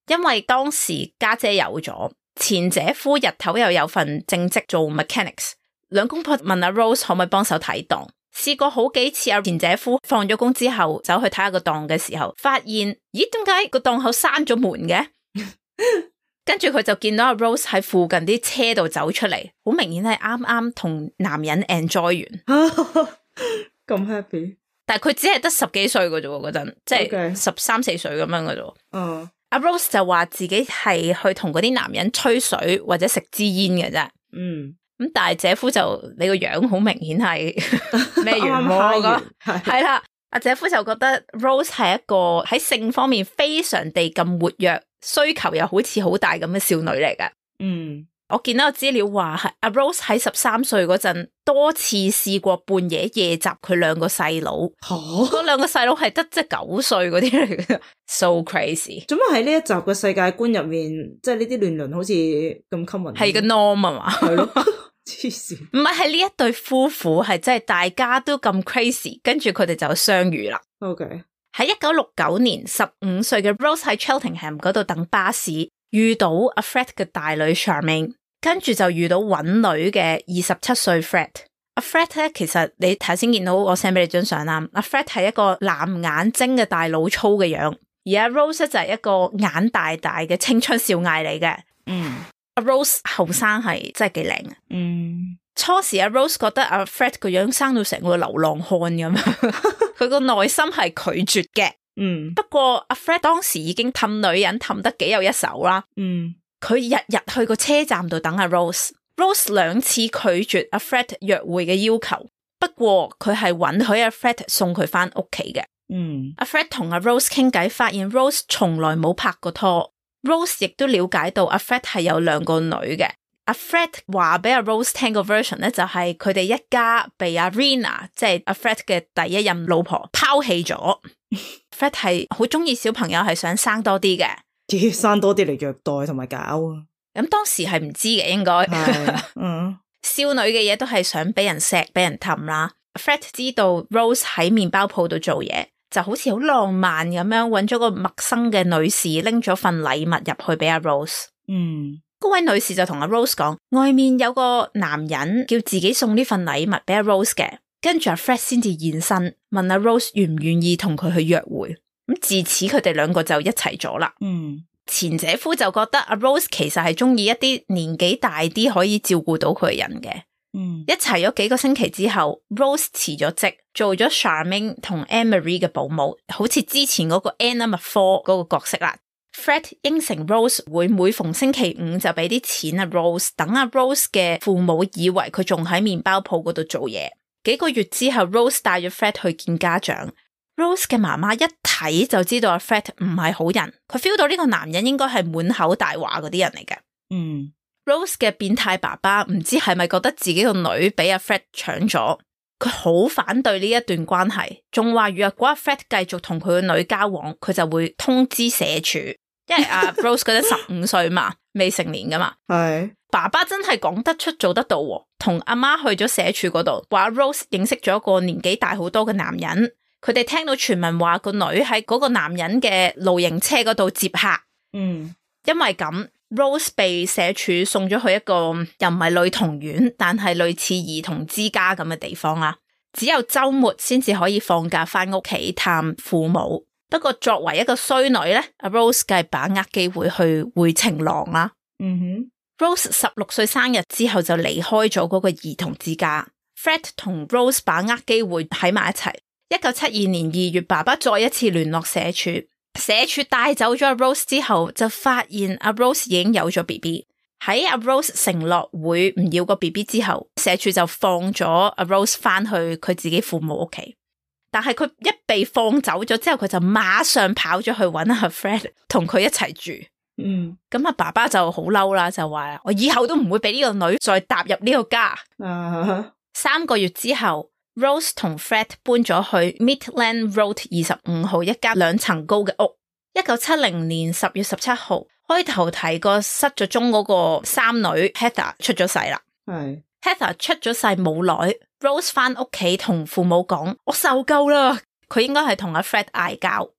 因為當時家姐有咗，前姐夫日頭又有份正職做 mechanics， 兩公婆問阿 Rose 可唔可以幫手睇檔，試過好幾次阿前姐夫放咗工之後走去睇下個檔嘅時候，發現咦點解個檔口閂咗門嘅？跟住佢就見到阿 Rose 喺附近啲車度走出嚟，好明顯係啱啱同男人 enjoy 完，咁 happy。但係佢只係得十幾歲嘅啫，嗰陣即係十三四歲咁樣嘅啫。嗯，阿 Rose 就話自己係去同嗰啲男人吹水或者食支煙嘅啫。嗯。咁但係姐夫就你個樣好明顯係咩元喎？咁係啦，阿姐夫就覺得 Rose 係一個喺性方面非常地咁活躍，需求又好似好大咁嘅少女嚟㗎。嗯，我見到個資料話係阿 Rose 喺十三歲嗰陣多次試過半夜夜襲佢兩個細佬，嗰兩個細佬係得即係九歲嗰啲嚟嘅，so crazy。做乜喺呢一集嘅世界觀入面，即係呢啲亂倫好似咁 common？係個 norm 啊嘛，係咯。黐線，唔係，係呢一對夫婦係真係大家都咁 crazy， 跟住佢哋就相遇啦。OK，喺一九六九年，十五歲嘅 Rose 喺 Cheltenham 嗰度等巴士，遇到阿 Fred 嘅大女 Charmaine， 跟住就遇到搵女嘅二十七歲 Fred。阿 Fred 咧，其實你頭先見到我 send 俾你張相啦，阿 Fred 係一個藍眼睛嘅大老粗嘅樣，而阿 Rose 就係一個眼大大嘅青春少艾嚟嘅。嗯。阿 Rose 後生係真係幾靚啊！嗯，初時阿 Rose 覺得阿 Fred 個樣生到成個流浪漢咁，佢個內心係拒絕嘅。嗯，不過阿 Fred 當時已經氹女人氹得幾有一手啦。嗯，佢日日去個車站度等阿 Rose，Rose 兩次拒絕阿 Fred 約會嘅要求，不過佢係允許阿 Fred 送佢翻屋企嘅。嗯，阿 Fred 同阿 Rose 傾偈，發現 Rose 從來冇拍過拖。Rose 亦都了解到阿 Fred 係有兩個女嘅，阿 Fred 話俾阿 Rose 聽個 version 咧，就係佢哋一家被阿 Rena 即係阿 Fred 嘅第一任老婆拋棄咗。Fred 係好中意小朋友，係想生多啲嘅，啲生多啲嚟虐待同埋搞啊。咁當時係唔知嘅，應該，嗯，少女嘅嘢都係想俾人錫俾人氹啦。Fred 知道 Rose 喺麵包鋪度做嘢，就好似好浪漫咁樣揾咗個陌生嘅女士拎咗份禮物入去俾阿 Rose。嗯，嗰位女士就同阿 Rose 講，外面有個男人叫自己送呢份禮物俾阿 Rose 嘅，跟住阿 Fred 先至現身問阿 Rose 願唔願意同佢去約會。咁自此佢哋兩個就一齊咗啦。嗯，前姐夫就覺得阿 Rose 其實係中意一啲年紀大啲可以照顧到佢嘅人嘅。嗯，一齊咗幾個星期之後 Rose 辭咗職，做咗 Charmaine 同 Anne-Marie 嘅保姆，好似之前嗰個 Anna McFall 嗰個角色啦。Fred 應承 Rose 會每逢星期五就俾啲錢阿 Rose， 等阿 Rose 嘅父母以為佢仲喺麵包鋪嗰度做嘢。幾個月之後 Rose 帶咗 Fred 去見家長。Rose 嘅媽媽一睇就知道阿 Fred 唔係好人，佢 feel 到呢個男人應該係滿口大話嗰啲人嚟嘅。嗯。Rose 嘅變態爸爸唔知係咪覺得自己個女俾阿 Fred 搶咗，佢好反對呢一段關係，仲話如果阿 Fred 繼續同佢個女交往，佢就會通知社署，因為阿 Rose 嗰陣十五歲嘛，未成年噶嘛。係爸爸真係講得出做得到，同阿媽去咗社署嗰度，話 Rose 認識咗一個年紀大好多嘅男人，佢哋聽到傳聞話個女喺嗰個男人嘅露營車嗰度接客。嗯，因為咁。Rose 被社署送咗去一個又唔係女童院，但係類似兒童之家咁嘅地方啦。只有周末先至可以放假翻屋企探父母。不過作為一個衰女咧，阿 Rose 梗係把握機會去會情郎啦。嗯哼 ，Rose 十六歲生日之後就離開咗嗰個兒童之家。Fred 同 Rose 把握機會喺埋一齊。一九七二年二月，爸爸再一次聯絡社署。社署帶走咗阿 Rose 之後，就發現阿 Rose 已經有咗 B B。喺阿 Rose 承諾會唔要個 B B 之後，社署就放咗阿 Rose 翻去佢自己父母屋企。但係佢一被放走咗之後，佢就馬上跑咗去搵阿 Fred 同佢一齊住。嗯，咁阿爸爸就好嬲啦，就話我以後都唔會俾呢個女再踏入呢個家。Uh-huh. 三個月之後。Rose 同 Fred 搬咗去 Midland Road 二十五號一間兩層高嘅屋。一九七零年十月十七號，開頭提過失咗蹤嗰個三女 Heather 出咗世啦。係 Heather 出咗世冇耐 ，Rose 翻屋企同父母講：我受夠啦。佢應該係同阿 Fred 嗌交，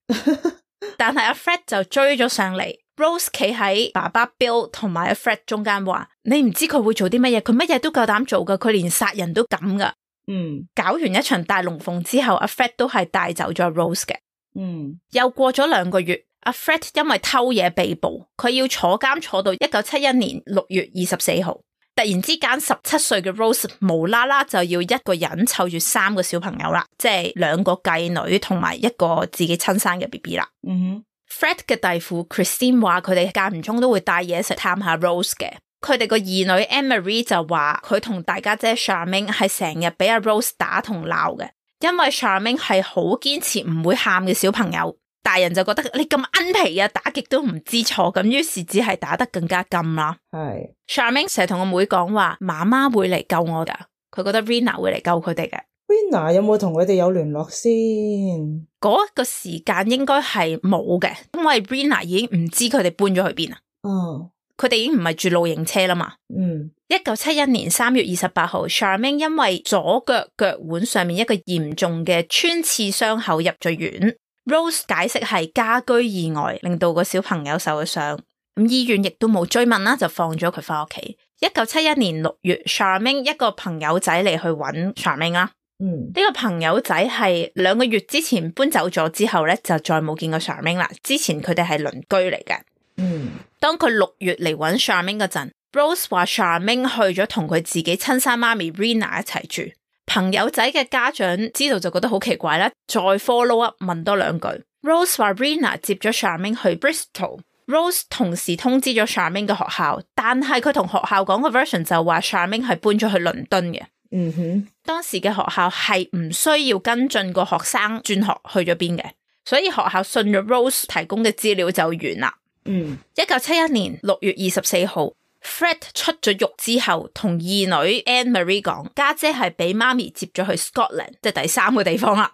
但係阿 Fred 就追咗上嚟。Rose 企喺爸爸 Bill 同埋阿 Fred 中間話：你唔知佢會做啲乜嘢，佢乜嘢都夠膽做噶，佢連殺人都敢噶。嗯，搞完一場大龍鳳之後，阿 Fred 都係帶走咗 Rose 嘅。嗯，又過咗兩個月，阿 Fred 因為偷嘢被捕，佢要坐監坐到一九七一年六月二十四號。突然之間，十七歲嘅 Rose 無啦啦就要一個人湊住三個小朋友啦，即係兩個繼女同埋一個自己親生嘅 B B 啦。嗯哼 ，Fred 嘅弟婦 Christine 話佢哋間唔中都會帶嘢食探下 Rose 嘅。佢哋個二女 Anne-Marie 就話佢同大家姐 Charmaine 係成日俾阿 Rose 打同鬧嘅，因為 Charmaine 係好堅持唔會喊嘅小朋友，大人就覺得你咁奀皮啊，打極都唔知錯，咁於是只係打得更加甘啦。係 Charmaine 成日同個妹講話，媽媽會嚟救我噶，佢覺得 Rina 會嚟救佢哋嘅。Rina 有冇同佢哋有聯絡先？嗰個時間應該係冇嘅，因為 Rina 已經唔知佢哋搬咗去邊啦。哦，佢哋已經唔係住露營車啦嘛。嗯，一九七一年三月二十八號 Charmaine 因為左腳腳腕上面一個嚴重嘅穿刺傷口入咗院。Rose 解釋係家居意外令到個小朋友受咗傷，咁醫院亦都冇追問啦，就放咗佢翻屋企。一九七一年六月 Charmaine 一個朋友仔嚟去揾 Charmaine 啦。嗯，呢個朋友仔係兩個月之前搬走咗之後咧，就再冇見過 Charmaine 啦。之前佢哋係鄰居嚟嘅。嗯，當佢六月嚟揾 Charmaine 嗰陣 ，Rose 話 Charmaine 去咗同佢自己親生媽咪 Rina 一齊住。朋友仔嘅家長知道就覺得好奇怪啦，再 follow up 問多兩句。Rose 話 Rina 接咗 Charmaine 去 Bristol。Rose 同時通知咗 Charmaine 嘅學校，但係佢同學校講個 version 就話 Charmaine 係搬咗去倫敦嘅。嗯哼，當時嘅學校係唔需要跟進個學生轉學去咗邊嘅，所以學校信咗 Rose 提供嘅資料就完啦。嗯，一九七一年六月二十四號 Fred 出咗獄之後，同二女 Anne-Marie 講，家姐係俾媽咪接咗去 Scotland， 即係第三個地方啦。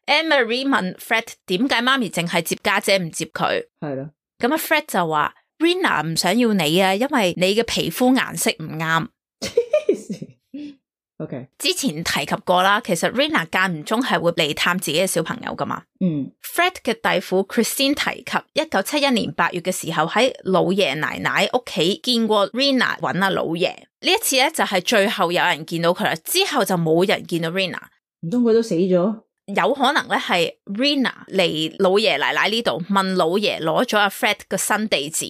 Anne-Marie 問 Fred 點解媽咪淨係接家姐唔接佢？係啦，咁啊 Fred 就話 Rina 唔想要你啊，因為你嘅皮膚顏色唔啱。Okay. 之前提及過啦，其實 Rina 間唔中係會嚟探自己嘅小朋友噶嘛。嗯 ，Fred 嘅弟婦 Christine 提及，一九七一年八月嘅時候喺老爺奶奶屋企見過 Rina 揾阿老爺。呢一次咧就係、是、最後有人見到佢啦，之後就冇人見到 Rina。唔通佢都死咗？有可能咧係 Rina 嚟老爺奶奶呢度問老爺攞咗阿 Fred 嘅新地址，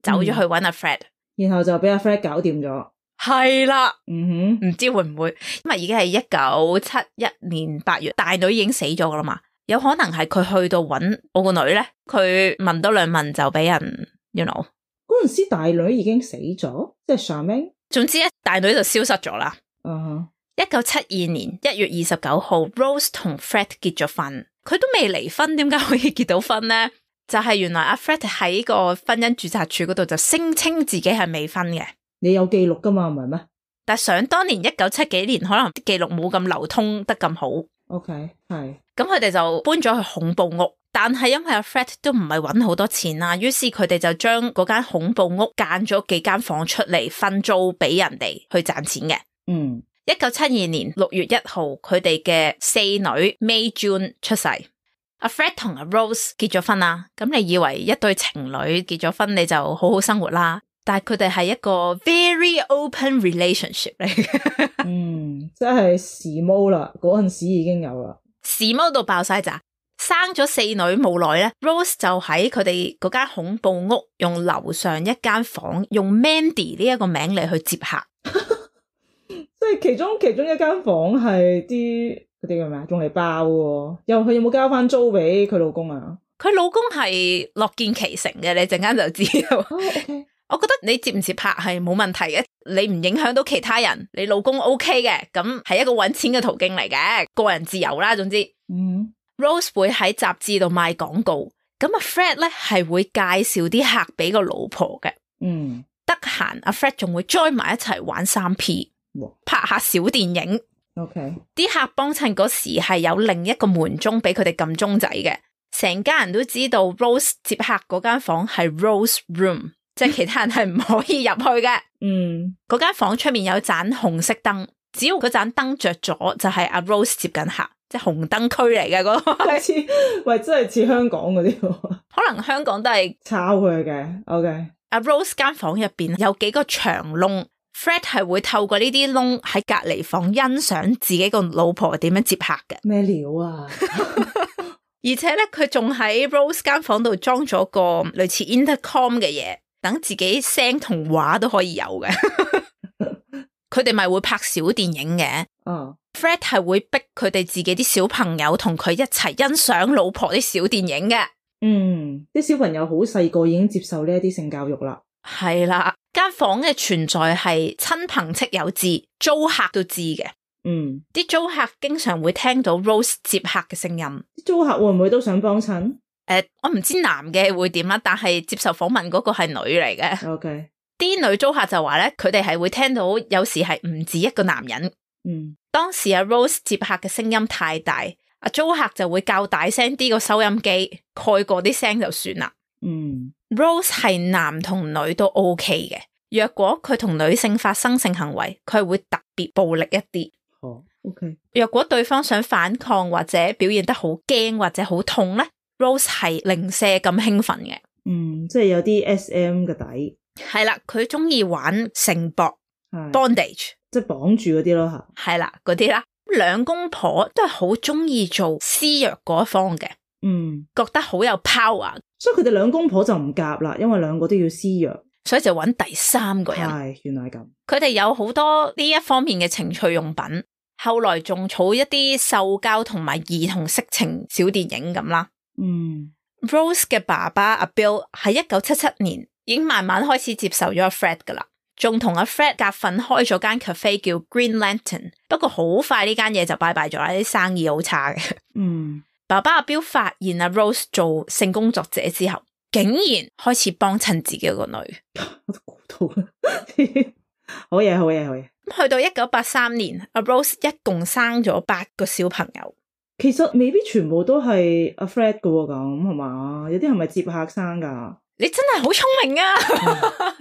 走咗去揾阿 Fred，然後就俾阿 Fred 搞掂咗。係啦，嗯哼，唔知會唔會，因為已經係一九七一年八月，大女已經死咗噶啦嘛，有可能係佢去到揾我個女咧，佢問多兩問就俾人 you know 嗰陣時大女已經死咗，即係 Charmaine。總之咧，大女就消失咗啦。嗯，一九七二年一月二十九號 Rose 同 Fred 結咗婚，佢都未離婚，點解可以結到婚咧？就係、是、原來阿 Fred 喺個婚姻註冊處嗰度就聲稱自己係未婚嘅。你有記錄噶嘛？唔係咩？但想當年一九七幾年，可能記錄冇咁流通得咁好。OK， 係。咁佢哋就搬咗去恐怖屋，但係因為阿 Fred 都唔係搵好多錢啦，於是佢哋就將嗰間恐怖屋間咗幾間房出嚟分租俾人哋去賺錢嘅。嗯，一九七二年六月一號，佢哋嘅四女 May June 出世。阿 Fred 同阿 Rose 結咗婚啦，咁你以為一對情侶結咗婚你就好好生活啦？但係佢哋係一個 very open relationship 嚟嘅，嗯，即係時髦啦，嗰陣時已經有啦，時髦到爆晒咋，生咗四女冇耐咧 ，Rose 就喺佢哋嗰間恐怖屋用樓上一間房，用 Mandy 呢一個名嚟去接客，即係其中其中一間房係啲嗰啲叫咩啊，用嚟包喎，又佢有冇交翻租俾佢老公啊？佢老公係樂見其成嘅，你陣間就知道。Oh, okay. 我覺得你接唔接拍係冇問題嘅，你唔影響到其他人，你老公 OK 嘅，咁係一個搵錢嘅途徑嚟嘅，個人自由啦。總之，嗯 ，Rose 會喺雜誌度賣廣告，咁阿 Fred 咧係會介紹啲客俾個老婆嘅，嗯，得閒阿 Fred 仲會 join 埋一齊玩三 P， 拍下小電影。OK， 啲客幫襯嗰時係有另一個門鐘俾佢哋撳鐘仔嘅，成家人都知道 Rose 接客嗰間房係 Rose Room。即係其他人係唔可以入去嘅。嗯，嗰間房出面有盞紅色燈，只要嗰盞燈着咗，就係阿 Rose 接緊客，即係紅燈區嚟嘅嗰個。似喂，真係似香港嗰啲。可能香港都係抄佢嘅。OK， 阿 Rose 間房入邊有幾個長窿 ，Fred 係會透過呢啲窿喺隔離房欣賞自己個老婆點樣接客嘅。咩料啊？而且咧，佢仲喺 Rose 間房度裝咗個類似 intercom 嘅嘢。等自己聲同畫都可以有嘅，佢哋咪會拍小電影嘅。哦、uh. ，Fred 係會逼佢哋自己啲小朋友同佢一齊欣賞老婆啲小電影嘅。嗯，啲小朋友好細個已經接受呢一啲性教育啦。係啦，間房嘅存在係親朋戚友知，租客都知嘅。嗯，啲租客經常會聽到 Rose 接客嘅聲音。啲租客會唔會都想幫襯？誒、呃，我唔知男嘅會點啦，但係接受訪問嗰個係女嚟嘅。OK，啲女租客就話咧，佢哋係會聽到有時係唔止一個男人。嗯，當時阿 Rose 接客嘅聲音太大，阿租客就會較大聲啲個收音機，蓋過啲聲就算啦。嗯 ，Rose 係男同女都 OK 嘅。若果佢同女性發生性行為，佢係會特別暴力一啲。哦 ，OK。若果對方想反抗或者表現得好驚或者好痛咧， Rose 係零舍咁興奮嘅。嗯，即係有啲 S M 嘅底。係啦，佢中意玩繩縛 bondage，即係綁住嗰啲咯吓。係啦，嗰啲啦。兩公婆都係好中意做施虐嗰一方嘅。嗯，覺得好有 power，所以佢哋兩公婆就唔夾啦，因為兩個都要施虐。所以就揾第三個人。係，原來係咁。佢哋有好多呢一方面嘅情趣用品，後來仲儲一啲獸交同埋兒童色情小電影咁啦。嗯 ，Rose 嘅爸爸阿 Bill 喺一九七七年已經慢慢開始接受咗阿 Fred 噶啦，仲同阿 Fred 夾份開咗間 cafe 叫 Green Lantern， 不過好快呢間嘢就拜拜咗啦，啲生意好差嘅。嗯，爸爸阿 Bill 發現阿 Rose 做性工作者之後，竟然開始幫襯自己個女。我都估到啦。好嘢，好嘢，好嘢。去到一九八三年，阿 Rose 一共生咗八個小朋友。其實未必全部都係阿 Fred 噶喎，咁係嘛？有啲係咪接客生噶？你真係好聰明啊！嗯、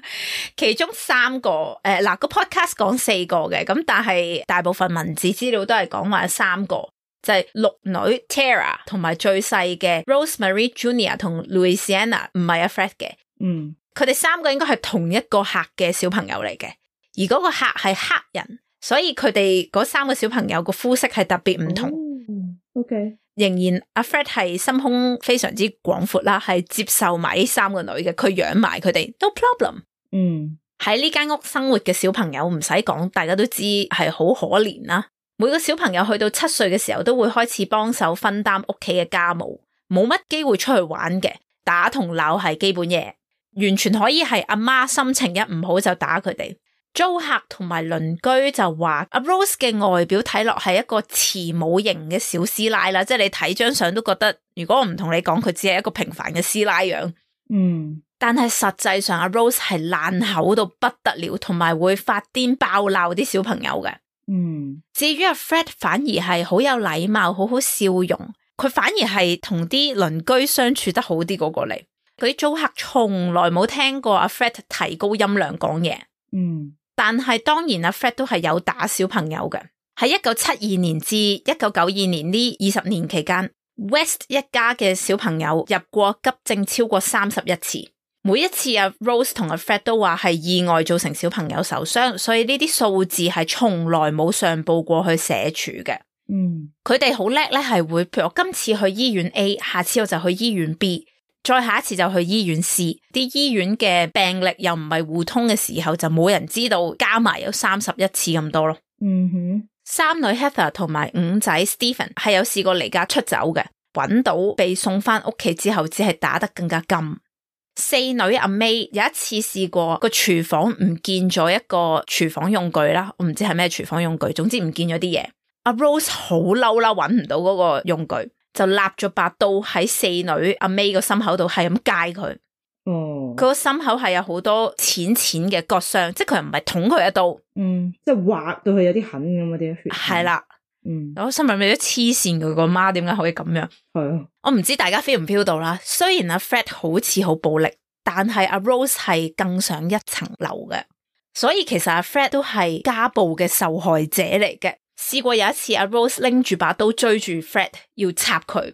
其中三個誒，嗱、呃、個 podcast 講四個嘅，咁但係大部分文字資料都係講話三個，就係、是、六女 Tara 同埋最細嘅 Rosemarie Junior 同 Louisiana， 唔係阿 Fred 嘅。嗯，佢哋三個應該係同一個客嘅小朋友嚟嘅，而嗰個客係黑人，所以佢哋嗰三個小朋友個膚色係特別唔同。哦、OK。仍然阿 Fred 係心胸非常之廣闊啦，係接受埋呢三個女嘅，佢養埋佢哋 no problem。嗯，喺呢間屋生活嘅小朋友唔使講，大家都知係好可憐啦。每個小朋友去到七歲嘅時候，都會開始幫手分擔屋企嘅家務，冇乜機會出去玩嘅，打同鬧係基本嘢，完全可以係阿媽心情一唔好就打佢哋。租客同埋鄰居就話阿 Rose 嘅外表睇落係一個慈母型嘅小師奶啦，即係你睇張相都覺得，如果我唔同你講，佢只係一個平凡嘅師奶樣。嗯，但係實際上阿 Rose 係爛口到不得了，同埋會發癲爆鬧啲小朋友嘅。嗯，至於阿 Fred 反而係好有禮貌，好好笑容，佢反而係同啲鄰居相處得好啲嗰個嚟。嗰啲租客從來冇聽過阿 Fred 提高音量講嘢。嗯。但係當然阿 Fred 都係有打小朋友嘅。喺一九七二年至一九九二年呢二十年期間， West 一家嘅小朋友入過急症超過三十一次，每一次阿 Rose 同阿 Fred 都話係意外造成小朋友受傷，所以呢啲數字係從來冇上報過去社署嘅。嗯，佢哋好叻咧，係會譬如我今次去醫院 A， 下次我就去醫院 B，再下一次就去醫院 C， 啲醫院嘅病歷又唔係互通嘅時候，就冇人知道加埋有三十一次咁多咯。嗯哼，三女 Heather 同埋五仔 Stephen 係有試過離家出走嘅，揾到被送翻屋企之後，只係打得更加甘。四女阿 May 有一次試過個廚房唔見咗一個廚房用具啦，我唔知係咩廚房用具，總之唔見咗啲嘢。阿 Rose 好嬲啦，揾唔到嗰個用具，就立咗把刀喺四女阿 May 個心口度，係咁戒佢。哦，佢個心口係有好多淺淺嘅割傷，即係佢唔係捅佢一刀，嗯，即係劃到佢有啲痕咁嗰啲血。係啦，嗯，我心入面都黐線，佢個媽點解可以咁樣？係啊，我唔知大家 feel 唔 feel 到啦。雖然阿 Fred 好似好暴力，但係阿 Rose 係更上一層樓嘅，所以其實阿 Fred 都係家暴嘅受害者嚟嘅。試過有一次阿 Rose 拎住把刀追住 Fred 要插佢，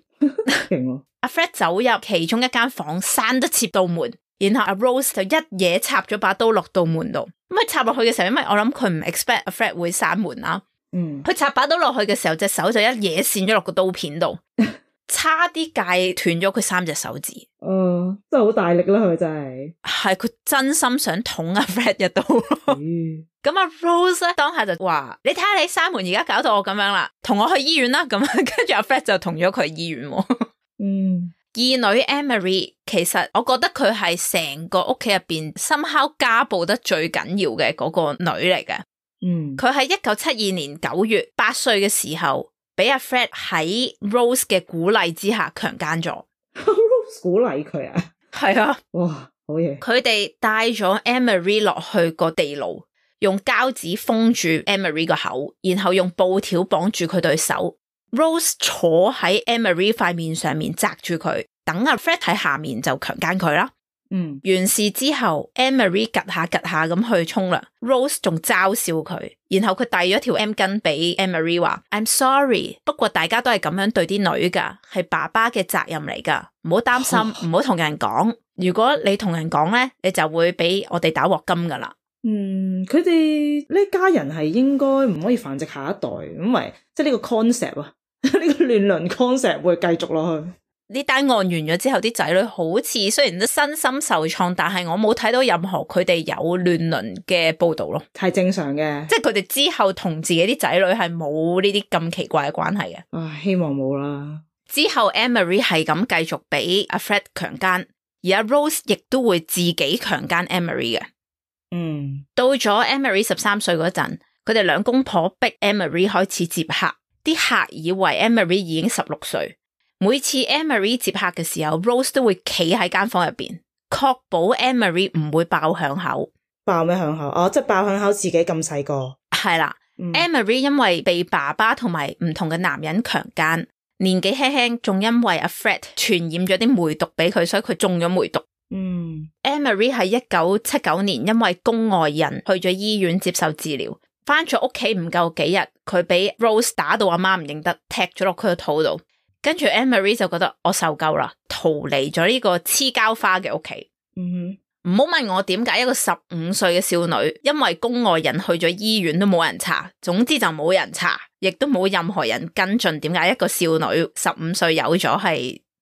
阿 Fred 走入其中一間房，閂得切道門，然後阿 Rose 就一嘢插咗把刀落道門度。咁佢插落去嘅時候，因為我諗佢唔 expect 阿 Fred 會閂門啦，嗯，佢插把刀落去嘅時候，隻手就一嘢跣咗落個刀片度，差啲戒斷咗佢三隻手指。哦，真係好大力啦，佢真係，係佢真心想捅阿 Fred 一刀。咁阿 Rose 咧當下就話：你睇下你閂門而家搞到我咁樣啦，同我去醫院啦。咁跟住阿 Fred 就同咗佢去醫院。嗯，二女 Emery 其實我覺得佢係成個屋企入邊somehow家暴得最緊要嘅嗰個女嚟嘅。嗯，佢喺一九七二年九月八歲嘅時候，俾阿 Fred 喺 Rose 嘅鼓勵之下強姦咗。Rose 鼓勵佢啊？係啊，哇，好嘢！佢哋帶咗 Emery 落去個地牢，用膠紙封住 Emery 個口，然後用布條綁住佢對手。Rose 坐喺 Emery 塊面上面紮住佢，等阿 Fred 喺下面就強姦佢啦。嗯，完事之後 Emery 趌下趌下咁去沖涼， Rose 仲嘲笑佢，然後佢遞咗條 M 巾俾 Emery 話 I'm sorry， 不過大家都係咁樣對啲女噶，係爸爸嘅責任嚟噶，唔好擔心，唔好同人講，如果你同人講咧，你就會俾我哋打鑊金噶啦。嗯，佢哋呢家人係應該唔可以繁殖下一代，因為即係呢個 concept 啊，呢個亂倫 concept 會繼續落去。呢單案完咗之後，啲仔女好似雖然都身心受創，但係我冇睇到任何佢哋有亂倫嘅報道咯，係正常嘅。即係佢哋之後同自己啲仔女係冇呢啲咁奇怪嘅關係嘅。唉，希望冇啦。之後 Emery 係咁繼續俾阿 Fred 強姦，而阿 Rose 亦都會自己強姦 Emery 嘅。嗯，到咗 Emery 十三歲嗰陣，佢哋兩公婆逼 Emery 開始接客，啲客以為 Emery 已經十六歲。每次 Emery 接客嘅時候 Rose 都會企喺間房入邊，確保 Emery 唔會爆響口。爆咩響口？哦，即係爆響口自己咁細個。係啦、嗯、Emery 因為被爸爸同埋唔同嘅男人強姦，年紀輕輕，仲因為阿 Fred 傳染咗啲梅毒俾佢，所以佢中咗梅毒。嗯 Emery 喺一九七九年因為宮外孕去咗醫院接受治療，翻咗屋企唔夠幾日，佢俾 Rose 打到阿媽唔認得，踢咗落佢個肚度。跟住 Emery 就覺得我受夠啦，逃離咗呢個黐膠花嘅屋企。嗯哼，唔好問我點解一個十五歲嘅少女因為宮外孕去咗醫院都冇人查，總之就冇人查，亦都冇任何人跟進點解一個少女十五歲有咗係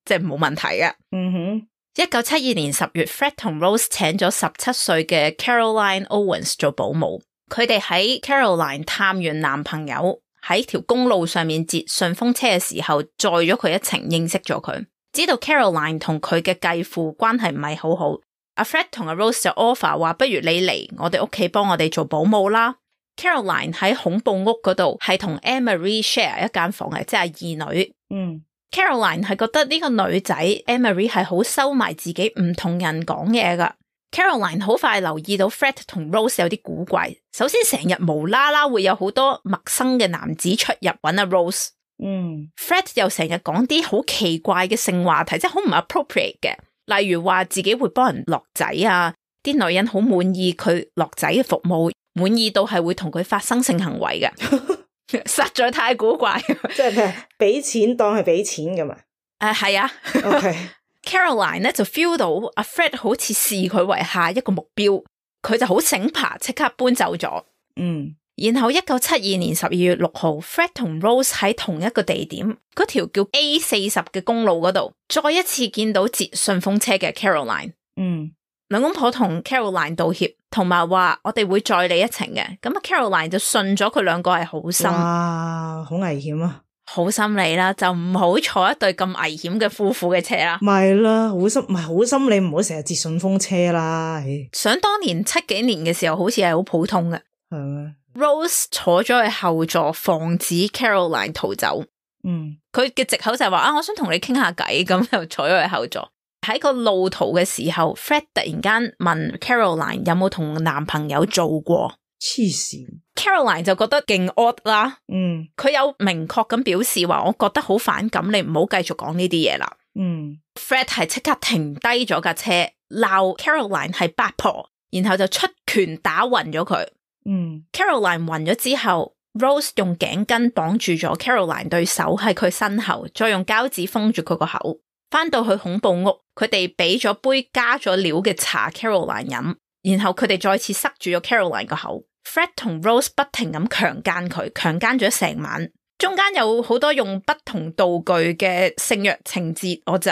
即係冇問題嘅。嗯哼，一九七二年十月 Fred 同 Rose 請咗十七歲嘅 Caroline Owens 做保姆，佢哋喺 Caroline 探完男朋友，喺條公路上面截順風車嘅時候，載咗佢一程，認識咗佢，知道 Caroline 同佢嘅繼父關係唔係好好。阿 Fred 同阿 Rose 就 offer 話，不如你嚟我哋屋企幫我哋做保姆啦。Caroline 喺恐怖屋嗰度係同 Emery share 一間房嘅，即係二女。嗯 Caroline 係覺得呢個女仔 Emery 係好收埋自己，唔同人講嘢噶。Caroline 好快留意到 Fred 同 Rose 有啲古怪，首先成日無啦啦會有好多陌生嘅男子出入揾阿 Rose。嗯 Fred 又成日講啲好奇怪嘅性話題，即係好唔 appropriate 嘅，例如話自己會幫人落仔啊，啲女人好滿意佢落仔嘅服務，滿意到係會同佢發生性行為嘅，實在太古怪。即係咩？俾錢當係俾錢㗎嘛？誒係啊。OK。Caroline 咧就 feel 到阿 Fred 好似視佢為下一個目標，佢就好醒爬，即刻搬走咗。嗯，然後一九七二年十二月六號 Fred 同 Rose 喺同一個地點，嗰條叫 A 四十嘅公路嗰度，再一次見到截順風車嘅 Caroline。嗯，兩公婆同 Caroline 道歉，同埋話我哋會載你一程嘅。咁啊 Caroline 就信咗佢兩個係好心。哇，好危險啊！好心理啦，就唔好坐一對咁危險嘅夫婦嘅車啦。咪啦，好心唔係好心，你唔好成日截順風車啦。想當年七幾年嘅時候，好似係好普通嘅。係咩 ？Rose 坐咗去後座，防止 Caroline 逃走。嗯，佢嘅藉口就係話啊，我想同你傾下偈，咁就坐咗去後座。喺個路途嘅時候 ，Fred 突然間問 Caroline 有冇同男朋友做過。黐線 Caroline 就覺得勁 odd 啦，嗯，佢有明確咁表示話，我覺得好反感，你唔好繼續講呢啲嘢啦。嗯 Fred 係即刻停低咗架車，鬧 Caroline 係八婆，然後就出拳打暈咗佢。嗯 Caroline 暈咗之後 ，Rose 用頸巾綁住咗 Caroline 對手喺佢身後，再用膠紙封住佢個口。翻到去恐怖屋，佢哋俾咗杯加咗料嘅茶 Caroline 飲。然後佢哋再次塞住咗 Caroline 個口 ，Fred 同 Rose 不停咁強姦佢，強姦咗成晚，中間有好多用不同道具嘅性虐情節，我就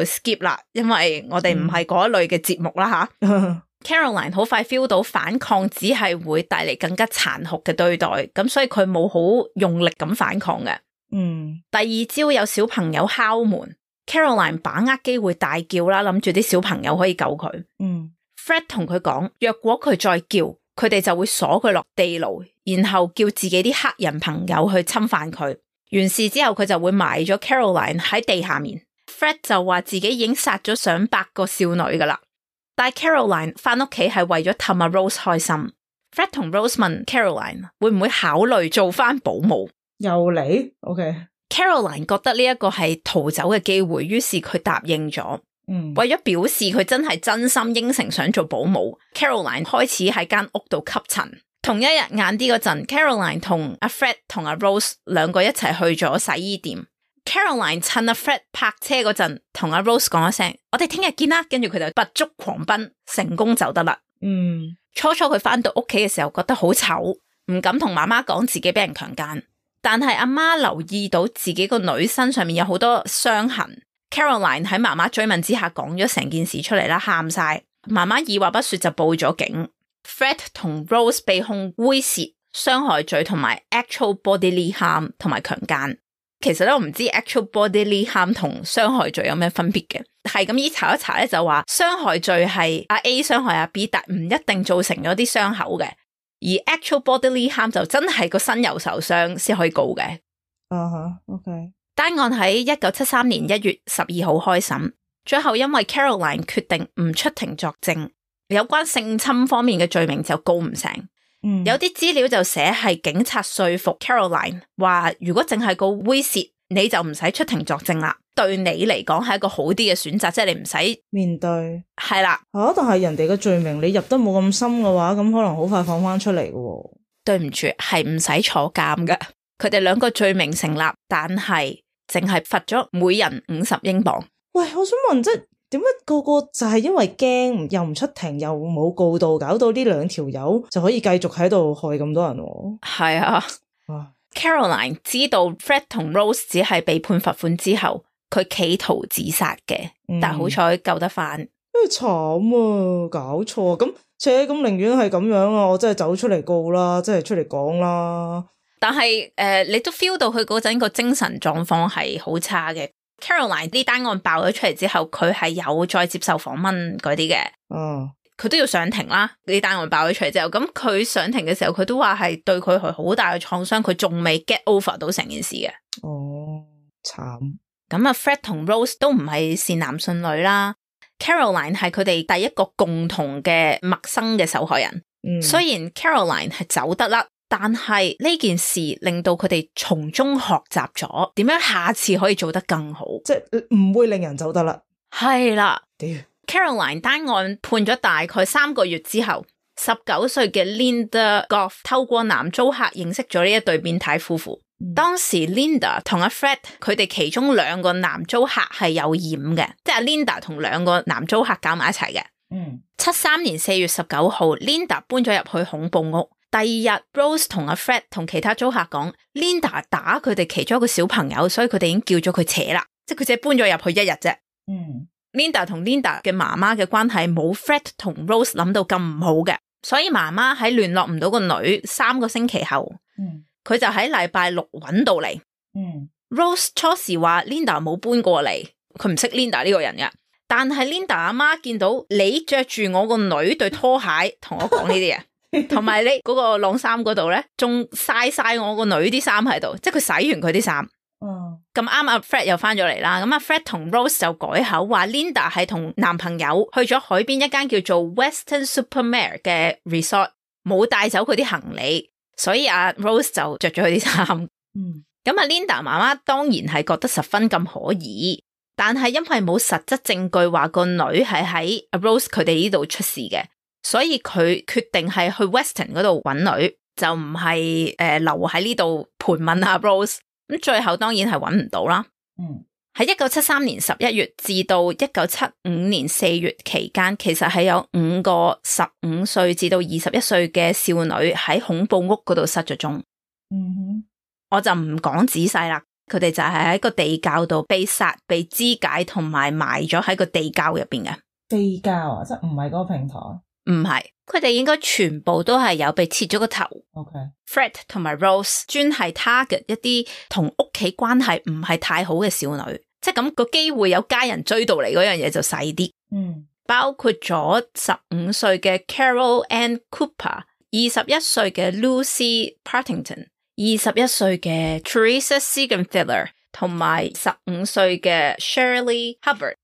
skip 啦，因為我哋唔係嗰一類嘅節目啦吓。嗯、Caroline 好快 feel 到反抗只係會帶嚟更加殘酷嘅對待，咁所以佢冇好用力咁反抗嘅。嗯，第二朝有小朋友敲門 Caroline 把握機會大叫啦，諗住啲小朋友可以救佢。嗯 Fred 同佢講，若果佢再叫，佢哋就會鎖佢落地牢，然後叫自己啲黑人朋友去侵犯佢。完事之後，佢就會埋咗 Caroline 喺地下面。Fred 就話自己已經殺咗上百個少女噶啦，但係 Caroline 翻屋企係為咗氹阿 Rose 開心。Fred 同 Rose 問 Caroline 會唔會考慮做翻保姆？又嚟 ？OK。Caroline 覺得呢一個係逃走嘅機會，於是佢答應咗。嗯，為咗表示佢真係真心應承想做保姆 ，Caroline 開始喺間屋度吸塵。同一日晏啲嗰陣 ，Caroline 同阿 Fred 同阿 Rose 兩個一齊去咗洗衣店。Caroline 趁阿 Fred 泊車嗰陣，同阿 Rose 講一聲：我哋聽日見啦。跟住佢就拔足狂奔，成功走得啦。嗯，初初佢翻到屋企嘅時候，覺得好醜，唔敢同媽媽講自己俾人強姦。但係阿媽留意到自己個女身上面有好多傷痕。Caroline 喺媽媽追問之下講咗成件事出嚟啦，喊晒。媽媽二話不說就報咗警。Fred 同 Rose 被控猥褻、傷害罪同埋 actual bodily harm 同埋強姦。其實咧我唔知 actual bodily harm 同傷害罪有咩分別嘅，係咁依查一查咧就話傷害罪係阿 A 傷害阿 B， 但唔一定造成咗啲傷口嘅，而 actual bodily harm 就真係個身有受傷先可以告嘅。啊哈 OK。單案喺一九七三年一月十二號開審，最後因為 Caroline 決定唔出庭作證，有關性侵方面嘅罪名就告唔成。嗯、有啲資料就寫係警察說服 Caroline 話，如果淨係告猥褻，你就唔使出庭作證啦，對你嚟講係一個好啲嘅選擇，即係你唔使面對。係啦，啊，但係人哋嘅罪名你入得冇咁深嘅話，咁可能好快放翻出嚟嘅。對唔住，係唔使坐監㗎。佢哋兩個罪名成立，但係淨係罰咗每人五十英鎊。喂，我想問，即係點解個個就係因為驚又唔出庭又冇告到，搞到呢兩條友就可以繼續喺度害咁多人？係啊，啊 Caroline 知道 Fred 同 Rose 只係被判罰款之後，佢企圖自殺嘅，嗯、但係好彩救得翻。真係慘啊！搞錯咁，且咁寧願係咁樣啊！我真係走出嚟告啦，真係出嚟講啦。但係誒、呃，你都 feel 到佢嗰陣個精神狀況係好差嘅。Caroline 呢單案爆咗出嚟之後，佢係有再接受訪問嗰啲嘅。哦，佢都要上庭啦。呢單案爆咗出嚟之後，咁佢上庭嘅時候，佢都話係對佢係好大嘅創傷，佢仲未 get over 到成件事嘅。哦，慘。咁啊 ，Fred 同 Rose 都唔係善男信女啦。Caroline 係佢哋第一個共同嘅陌生嘅受害人。嗯，雖然 Caroline 係走得甩。但係呢件事令到佢哋從中學習咗點樣下次可以做得更好，即係唔會令人走得啦。係啦，Caroline 單案判咗大概三個月之後，十九歲嘅 Linda Goff 透過男租客認識咗呢一對變態夫婦。嗯、當時 Linda 同阿 Fred 佢哋其中兩個男租客係有染嘅，即係 Linda 同兩個男租客搞埋一齊嘅。嗯，七三年四月十九號 Linda 搬咗入去恐怖屋。第二日 Rose 同阿 Fred 同其他租客講 Linda 打佢哋其中一個小朋友，所以佢哋已經叫咗佢扯啦，即係佢只係搬咗入去一日啫。嗯 Linda 同 Linda 嘅媽媽嘅關係冇 Fred 同 Rose 諗到咁唔好嘅，所以媽媽喺聯絡唔到個女三個星期後，佢、嗯、就喺禮拜六揾到嚟。嗯、Rose 初時話 Linda 冇搬過嚟，佢唔識 Linda 呢個人嘅，但係 Linda 阿媽見到你着住我個女對拖鞋，同我講呢啲嘢。同埋你嗰個晾衫嗰度咧，仲晒晒我個女啲衫喺度，即係佢洗完佢啲衫。嗯，咁啱阿 Fred 又翻咗嚟啦，咁阿 Fred 同 Rose 就改口話 Linda 係同男朋友去咗海邊一間叫做 Weston-super-Mare 嘅 resort， 冇帶走佢啲行李，所以阿 Rose 就着咗佢啲衫。嗯，咁阿 Linda 媽媽當然係覺得十分咁可疑，但係因為冇實質證據話個女係喺阿 Rose 佢哋呢度出事嘅。所以佢決定係去 Weston 嗰度揾女，就唔係誒留喺呢度盤問阿 Rose。咁最後當然係揾唔到啦。嗯，喺一九七三年十一月至到一九七五年四月期間，其實係有五個十五歲至到二十一歲嘅少女喺恐怖屋嗰度失咗蹤。嗯哼，我就唔講仔細啦。佢哋就係喺個地窖度被殺、被肢解同埋埋咗喺個地窖入邊嘅。地窖啊，即係唔係嗰個平台？唔係，佢哋應該全部都係有被切咗個頭。Okay. Fred 同埋 Rose 專係 target 一啲同屋企關係唔係太好嘅少女，即係咁個機會有家人追到嚟嗰樣嘢就細啲。嗯，包括咗十五歲嘅 Carol Ann Cooper、二十一歲嘅 Lucy Partington、二十一歲嘅 Teresa Siegenthaler 同埋十五歲嘅 Shirley Hubbard。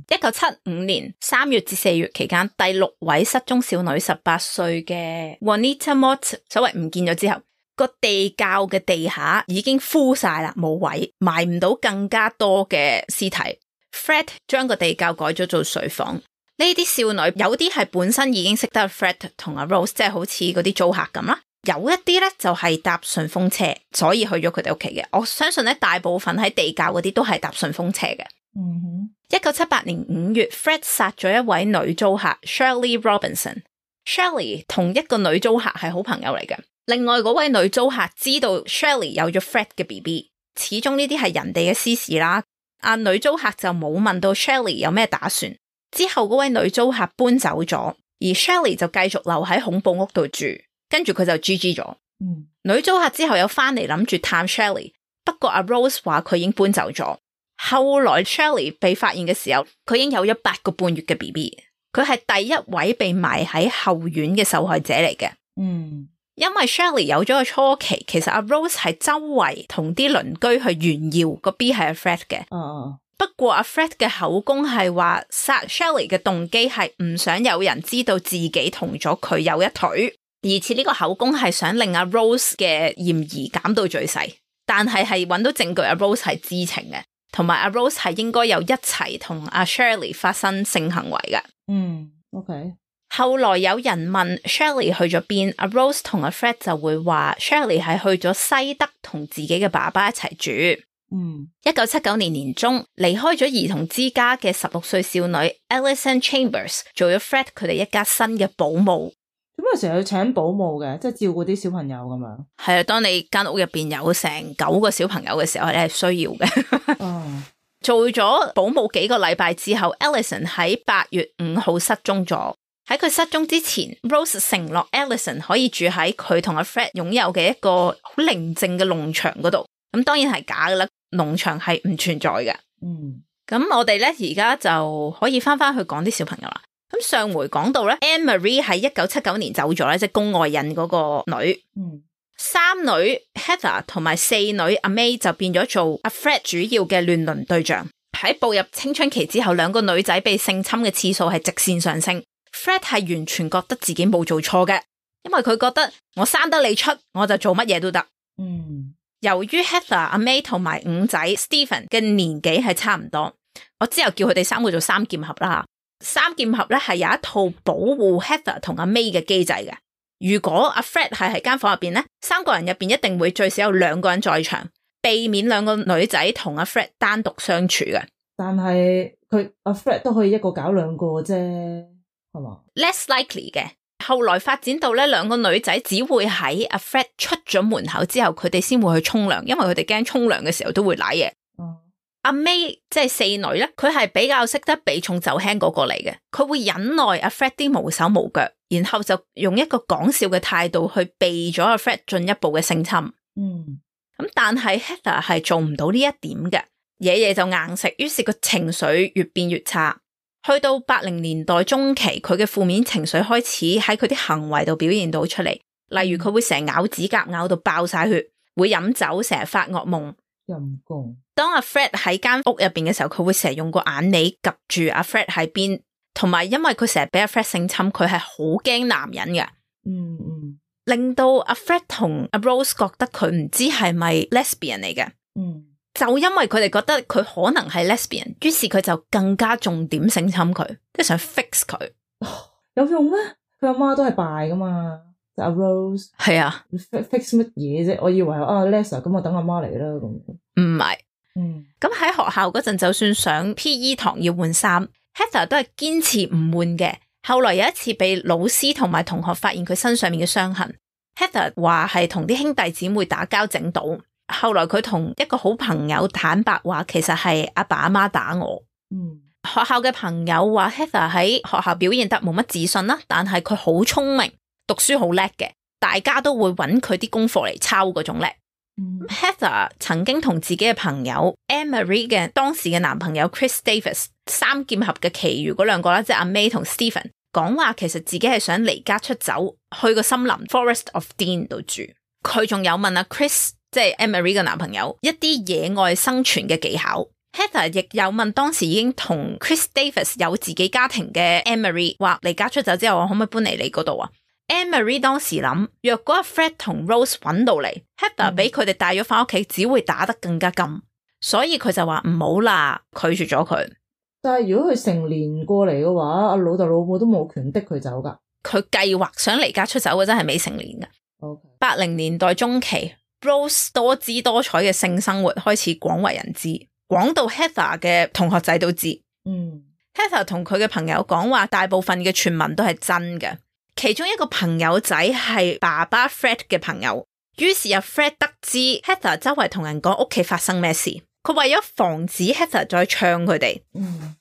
一九七五年三月至四月期間，第六位失蹤少女十八歲嘅 Juanita Mott 所謂唔見咗之後，個地窖嘅地下已經枯晒啦，冇位埋唔到更加多嘅屍體。Fred 將個地窖改咗做睡房。呢啲少女有啲係本身已經識得 Fred 同阿 Rose， 即係好似嗰啲租客咁啦。有一啲咧就係搭順風車，所以去咗佢哋屋企嘅。我相信咧大部分喺地窖嗰啲都係搭順風車嘅。嗯哼。一九七八年五月 Fred 殺咗一位女租客 Shirley Robinson。Shirley 同一個女租客係好朋友嚟嘅。另外嗰位女租客知道 Shirley 有咗 Fred 嘅 B B， 始終呢啲係人哋嘅私事啦。阿女租客就冇問到 Shirley 有咩打算。之後嗰位女租客搬走咗，而 Shirley 就繼續留喺恐怖屋度住，跟住佢就 G G 咗。嗯，女租客之後有翻嚟諗住探 Shirley， 不過阿 Rose 話佢已經搬走咗。後來 Shirley 被發現嘅時候，佢已經有咗八個半月嘅 B B， 佢係第一位被埋喺後院嘅受害者嚟嘅。嗯，因為 Shirley 有咗個初期，其實阿 Rose 係周圍同啲鄰居去炫耀個 B 係阿 Fred 嘅。哦，不過阿 Fred 嘅口供係話殺 Shirley 嘅動機係唔想有人知道自己同咗佢有一腿，而且呢個口供係想令阿 Rose 嘅嫌疑減到最細，但係係揾到證據阿 Rose 係知情嘅。同埋阿 Rose 係應該有一齊同阿 Shirley 發生性行為嘅。嗯 ，OK。後來有人問 Shirley 去咗邊，阿 Rose 同阿 Fred 就會話 Shirley 係去咗西德同自己嘅爸爸一齊住。嗯，一九七九年年中離開咗兒童之家嘅十六歲少女 Alison Chambers 做咗 Fred 佢哋一家新嘅保姆。咁啊，成日要請保姆嘅，即係照顧啲小朋友咁樣。係啊，當你間屋入邊有成九個小朋友嘅時候，你係需要嘅。哦，做咗保姆幾個禮拜之後 Alison 喺八月五號失蹤咗。喺佢失蹤之前 Rose 承諾 Alison 可以住喺佢同阿 Fred 擁有嘅一個好寧靜嘅農場嗰度。咁當然係假噶啦，農場係唔存在嘅。嗯，咁我哋咧而家就可以翻翻去講啲小朋友啦。咁上回講到咧 Anne Marie 喺一九七九年走咗咧，即係宮外孕嗰個女。嗯，三女 Heather 同埋四女阿 May 就變咗做阿 Fred 主要嘅亂倫對象。喺步入青春期之後，兩個女仔被性侵嘅次數係直線上升。Fred 係完全覺得自己冇做錯嘅，因為佢覺得我生得你出，我就做乜嘢都得。嗯，由於 Heather 阿 May 同埋五仔 Stephen 嘅年紀係差唔多，我之後叫佢哋三個做三劍俠啦。三劍俠咧係有一套保護 Heather 同阿 May 嘅機制嘅。如果阿 Fred 係喺間房入邊咧，三個人入邊一定會最少有兩個人在場，避免兩個女仔同阿 Fred 單獨相處嘅。但係佢阿 Fred 都可以一個搞兩個啫，係嘛 ？Less likely 嘅。後來發展到咧，兩個女仔只會喺阿 Fred 出咗門口之後，佢哋先會去沖涼，因為佢哋驚沖涼嘅時候都會瀨嘢。阿 May 即係四女咧，佢係比較識得避重就輕嗰個嚟嘅，佢會忍耐阿 Fred 啲無手無腳，然後就用一個講笑嘅態度去避咗阿 Fred 進一步嘅性侵。嗯，咁但係 Heather 係做唔到呢一點嘅，嘢嘢就硬食，於是個情緒越變越差。去到八零年代中期，佢嘅負面情緒開始喺佢啲行為度表現到出嚟，例如佢會成日咬指甲咬到爆晒血，會飲酒，成日發噩夢。陰公。當阿 Fred 喺間屋入邊嘅時候，佢會成日用個眼尾及住阿 Fred 喺邊，同埋因為佢成日俾阿 Fred 性侵，佢係好驚男人嘅。嗯嗯，令到阿 Fred 同阿 Rose 覺得佢唔知係咪 lesbian 嚟嘅。嗯，就因為佢哋覺得佢可能係 lesbian， 於是佢就更加重點性侵佢，即係想 fix 佢。有用咩？佢阿媽都係敗噶嘛。阿 Rose 係啊 ，fix 乜嘢啫？我以為啊 Lesa 咁，我等阿媽嚟啦咁。唔係，嗯，咁喺學校嗰陣，就算上 P E 堂要換衫 ，Heather 都係堅持唔換嘅。後來有一次被老師同埋同學發現佢身上面嘅傷痕 ，Heather 話係同啲兄弟姊妹打交整到。後來佢同一個好朋友坦白話，其實係阿爸阿媽打我。嗯，學校嘅朋友話 Heather 喺學校表現得冇乜自信啦，但係佢好聰明。讀書好叻嘅，大家都會揾佢啲功課嚟抄嗰種叻。嗯、Heather 曾經同自己嘅朋友 Anne-Marie 嘅當時嘅男朋友 Chris Davis 三劍俠嘅其餘嗰兩個啦，即係阿 May 同 Stephen 講話，其實自己係想離家出走，去個森林 Forest of Dean 度住。佢仲有問阿 Chris， 即係 Anne-Marie 嘅男朋友一啲野外生存嘅技巧。Heather 亦有問當時已經同 Chris Davis 有自己家庭嘅 Anne-Marie 話離家出走之後，我可唔可以搬嚟你嗰度啊？Anne-Marie 當時諗，若果阿 Fred 同 Rose 揾到嚟 Heather 俾佢哋帶咗翻屋企，只會打得更加緊，所以佢就話唔好啦，拒絕咗佢。但係如果佢成年過嚟嘅話，阿老豆老母都冇權逼佢走噶。佢計劃想離家出走嘅真係未成年噶。八零、okay. 年代中期 Rose 多姿多彩嘅性生活開始廣為人知，廣到 Heather 嘅同學仔都知。嗯 Heather 同佢嘅朋友講話，大部分嘅傳聞都係真嘅。其中一個朋友仔係爸爸 Fred 嘅朋友，於是阿 Fred 得知 Heather 周圍同人講屋企發生咩事，佢為咗防止 Heather 再唱佢哋，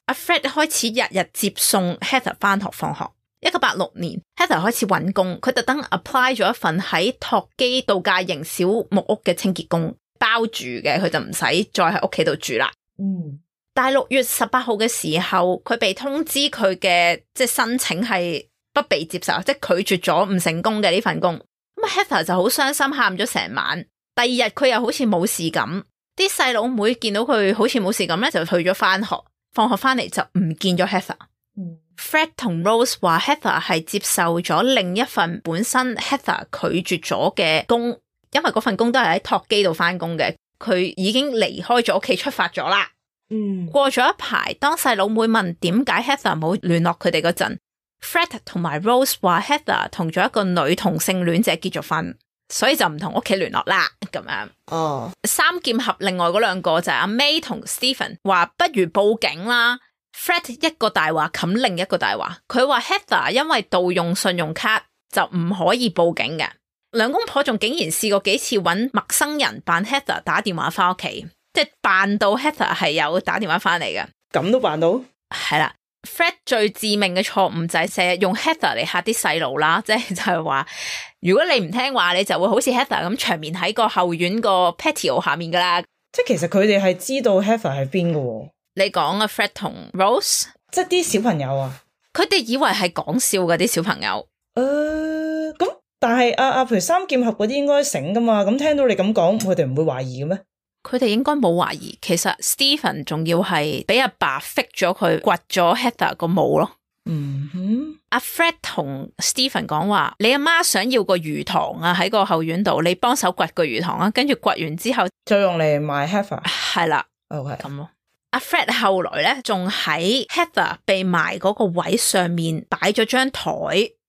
阿、嗯、Fred 開始日日接送 Heather 翻學放學。一九八六年 Heather 開始揾工，佢特登 apply 咗一份喺托基度假型小木屋嘅清潔工，包住嘅，佢就唔使再喺屋企度住啦。嗯，但係六月十八號嘅時候，佢被通知佢嘅即係申請係不被接受，即係拒絕咗唔成功嘅呢份工。咁 Heather 就好傷心，喊咗成晚。第二日佢又好似冇事咁，啲細佬妹見到佢好似冇事咁咧，就去咗翻學。放學翻嚟就唔見咗 Heather。嗯、Fred 同 Rose 話 Heather 係接受咗另一份本身 Heather 拒絕咗嘅工，因為嗰份工都係喺托基度翻工嘅。佢已經離開咗屋企出發咗啦。嗯，過咗一排，當細佬妹問點解 Heather 冇聯絡佢哋嗰陣，Fred 同埋 Rose 話 Heather 同咗一個女同性戀者結咗婚，所以就唔同屋企聯絡啦。咁樣哦，三劍俠另外嗰兩個就係阿 May 同 Stephen 話不如報警啦。Fred 一個大話冚另一個大話，佢話 Heather 因為盜用信用卡就唔可以報警嘅。兩公婆仲竟然試過幾次揾陌生人扮 Heather 打電話翻屋企，即係扮到 Heather 係有打電話翻嚟嘅。咁都扮到？係啦。Fred 最致命嘅錯誤就係成日用 Heather 嚟嚇啲細路啦，即係就係話如果你唔聽話，你就會好似 Heather 咁長眠喺個後院個 patio 下面噶啦。即係其實佢哋係知道 Heather 係邊嘅。你講啊 Fred 同 Rose， 即係啲小朋友啊，佢哋以為係講笑嘅啲小朋友。誒、呃，咁但係阿阿譬如三劍俠嗰啲應該醒噶嘛？咁聽到你咁講，佢哋唔會懷疑嘅咩？佢哋應該冇懷疑。其實 Stephen 仲要係俾阿爸 fix 咗佢掘咗 Heather 個墓咯。嗯哼，阿 Fred 同 Stephen 講話，你阿媽想要個魚塘啊，喺個後院度，你幫手掘個魚塘啊，跟住掘完之後再用嚟賣 Heather。係啦，OK 咁咯。阿 Fred 後來咧，仲喺 Heather 被埋嗰個位上面擺咗張台，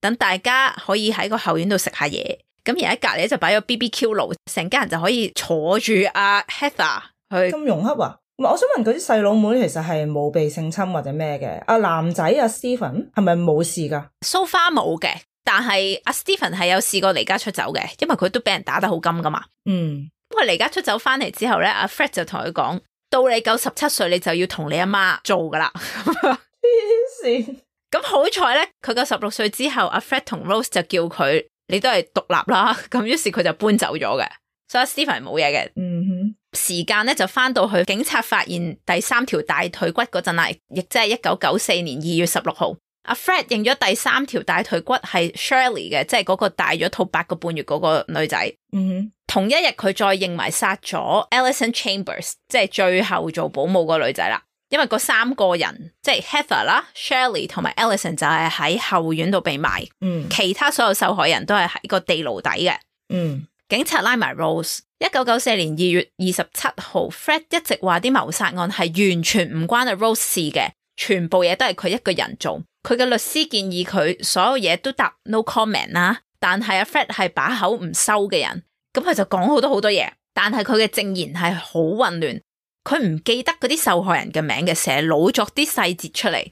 等大家可以喺個後院度食下嘢。咁而喺隔籬就擺咗 B B Q 爐，成家人就可以坐住阿 Heather 去。咁融洽啊！唔係，我想問嗰啲細佬妹其實係冇被性侵或者咩嘅？阿男仔阿 Stephen 係咪冇事噶 ？So far 冇嘅，但係阿 Stephen 係有試過離家出走嘅，因為佢都俾人打得好金噶嘛。嗯，不過離家出走翻嚟之後咧，阿 Fred 就同佢講。到你夠十七歲，你就要同你阿媽做噶啦。黐線！咁好彩咧，佢夠十六歲之後，阿 Fred 同 Rose 就叫佢，你都係獨立啦。咁於是佢就搬走咗嘅，所以 Stephen 冇嘢嘅。嗯哼，時間咧就翻到去警察發現第三條大腿骨嗰陣啦，亦即係一九九四年二月十六號。阿 Fred 認咗第三條大腿骨係 Shirley 嘅，即係嗰個帶咗套八個半月嗰個女仔。嗯哼，同一日佢再認埋殺咗 Alison Chambers， 即係最後做保姆個女仔啦。因為嗰三個人即係 Heather 啦、Shirley 同埋 Alison 就係喺後院度被埋。嗯，其他所有受害人都係喺個地牢底嘅。嗯，警察拉埋 Rose。一九九四年二月二十七號 Fred 一直話啲謀殺案係完全唔關阿 Rose 事嘅，全部嘢都係佢一個人做。佢嘅律師建議佢所有嘢都答 no comment 啦，但係阿 Fred 係把口唔收嘅人，咁佢就講好多好多嘢，但係佢嘅證言係好混亂，佢唔記得嗰啲受害人嘅名嘅，成日老作啲細節出嚟，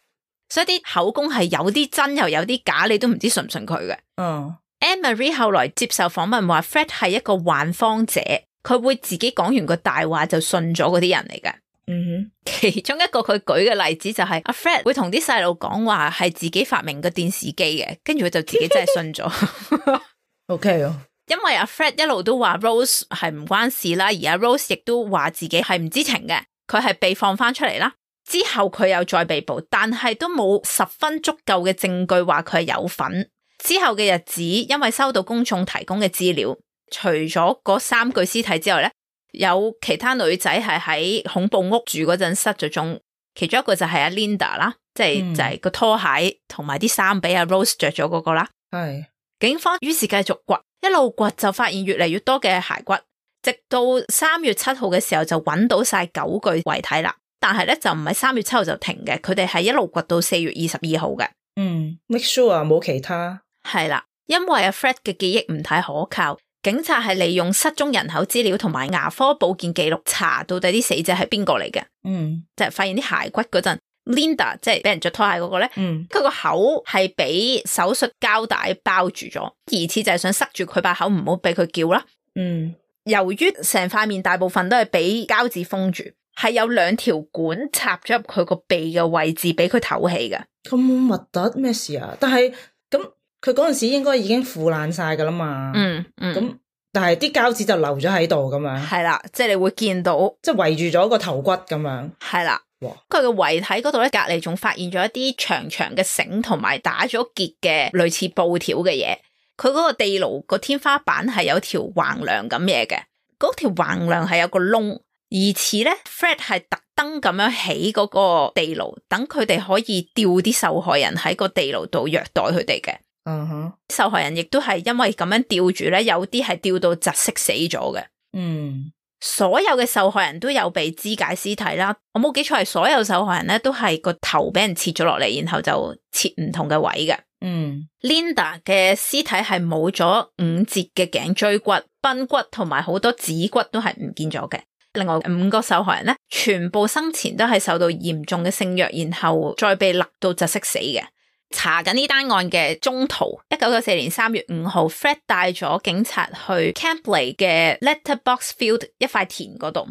所以啲口供係有啲真又有啲假，你都唔知信唔信佢嘅。嗯 Anne-Marie 後來接受訪問話 Fred 係一個幻方者，佢會自己講完個大話就信咗嗰啲人嚟嘅。嗯哼，其中一個佢舉嘅例子就係阿 Fred 會同啲細路講話係自己發明個電視機嘅，跟住佢就自己真係信咗。OK 哦，因為阿 Fred 一路都話 Rose 係唔關事啦，而阿 Rose 亦都話自己係唔知情嘅，佢係被放翻出嚟啦。之後佢又再被捕，但係都冇十分足夠嘅證據話佢係有份。之後嘅日子，因為收到公眾提供嘅資料，除咗嗰三具屍體之外咧，有其他女仔係喺恐怖屋住嗰陣失咗蹤，其中一個就係阿 Linda 啦，即係、嗯、就係個拖鞋同埋啲衫俾阿 Rose 着咗嗰個啦。係警方於是繼續掘，一路掘就發現越嚟越多嘅骸骨，直到三月七號嘅時候就揾到晒九具遺體啦。但係咧就唔係三月七號就停嘅，佢哋係一路掘到四月二十二號嘅。嗯 make sure 啊冇其他。係啦，因為阿 Fred 嘅記憶唔太可靠，警察係利用失蹤人口資料同埋牙科保健記錄查到底啲死者係邊個嚟嘅。嗯，就係發現啲骸骨嗰陣 ，Linda 即係俾人着拖鞋嗰個咧，嗯，佢個口係俾手術膠帶包住咗，疑似就係想塞住佢把口，唔好俾佢叫啦。嗯，由於成塊面大部分都係俾膠紙封住。係有兩條管插咗入佢個鼻嘅位置，俾佢唞氣嘅。咁核突咩事啊？但係咁佢嗰陣時應該已經腐爛晒噶啦嘛。嗯嗯。咁但係啲膠紙就留咗喺度咁樣。係啦，即係你會見到，即係圍住咗個頭骨咁樣。係啦。哇！佢嘅遺體嗰度咧，隔籬仲發現咗一啲長長嘅繩同埋打咗結嘅類似布條嘅嘢。佢嗰個地牢個天花板係有條橫梁咁嘢嘅，嗰條橫梁係有個窿。疑似咧 Fred 係特登咁樣起嗰個地牢，等佢哋可以吊啲受害人喺個地牢度虐待佢哋嘅。嗯哼，受害人亦都係因為咁樣吊住咧，有啲係吊到窒息死咗嘅。嗯，所有嘅受害人都有被肢解屍體啦。我冇記錯係所有受害人咧都係個頭俾人切咗落嚟，然後就切唔同嘅位嘅。嗯 ，Linda 嘅屍體係冇咗五節嘅頸椎骨、髕骨同埋好多指骨都係唔見咗嘅。另外五個受害人咧，全部生前都係受到嚴重嘅性虐，然後再被勒到窒息死嘅。查緊呢單案嘅中途，一九九四年三月五號 ，Fred 帶咗警察去 Campley 嘅 Letterbox Field 一塊田嗰度，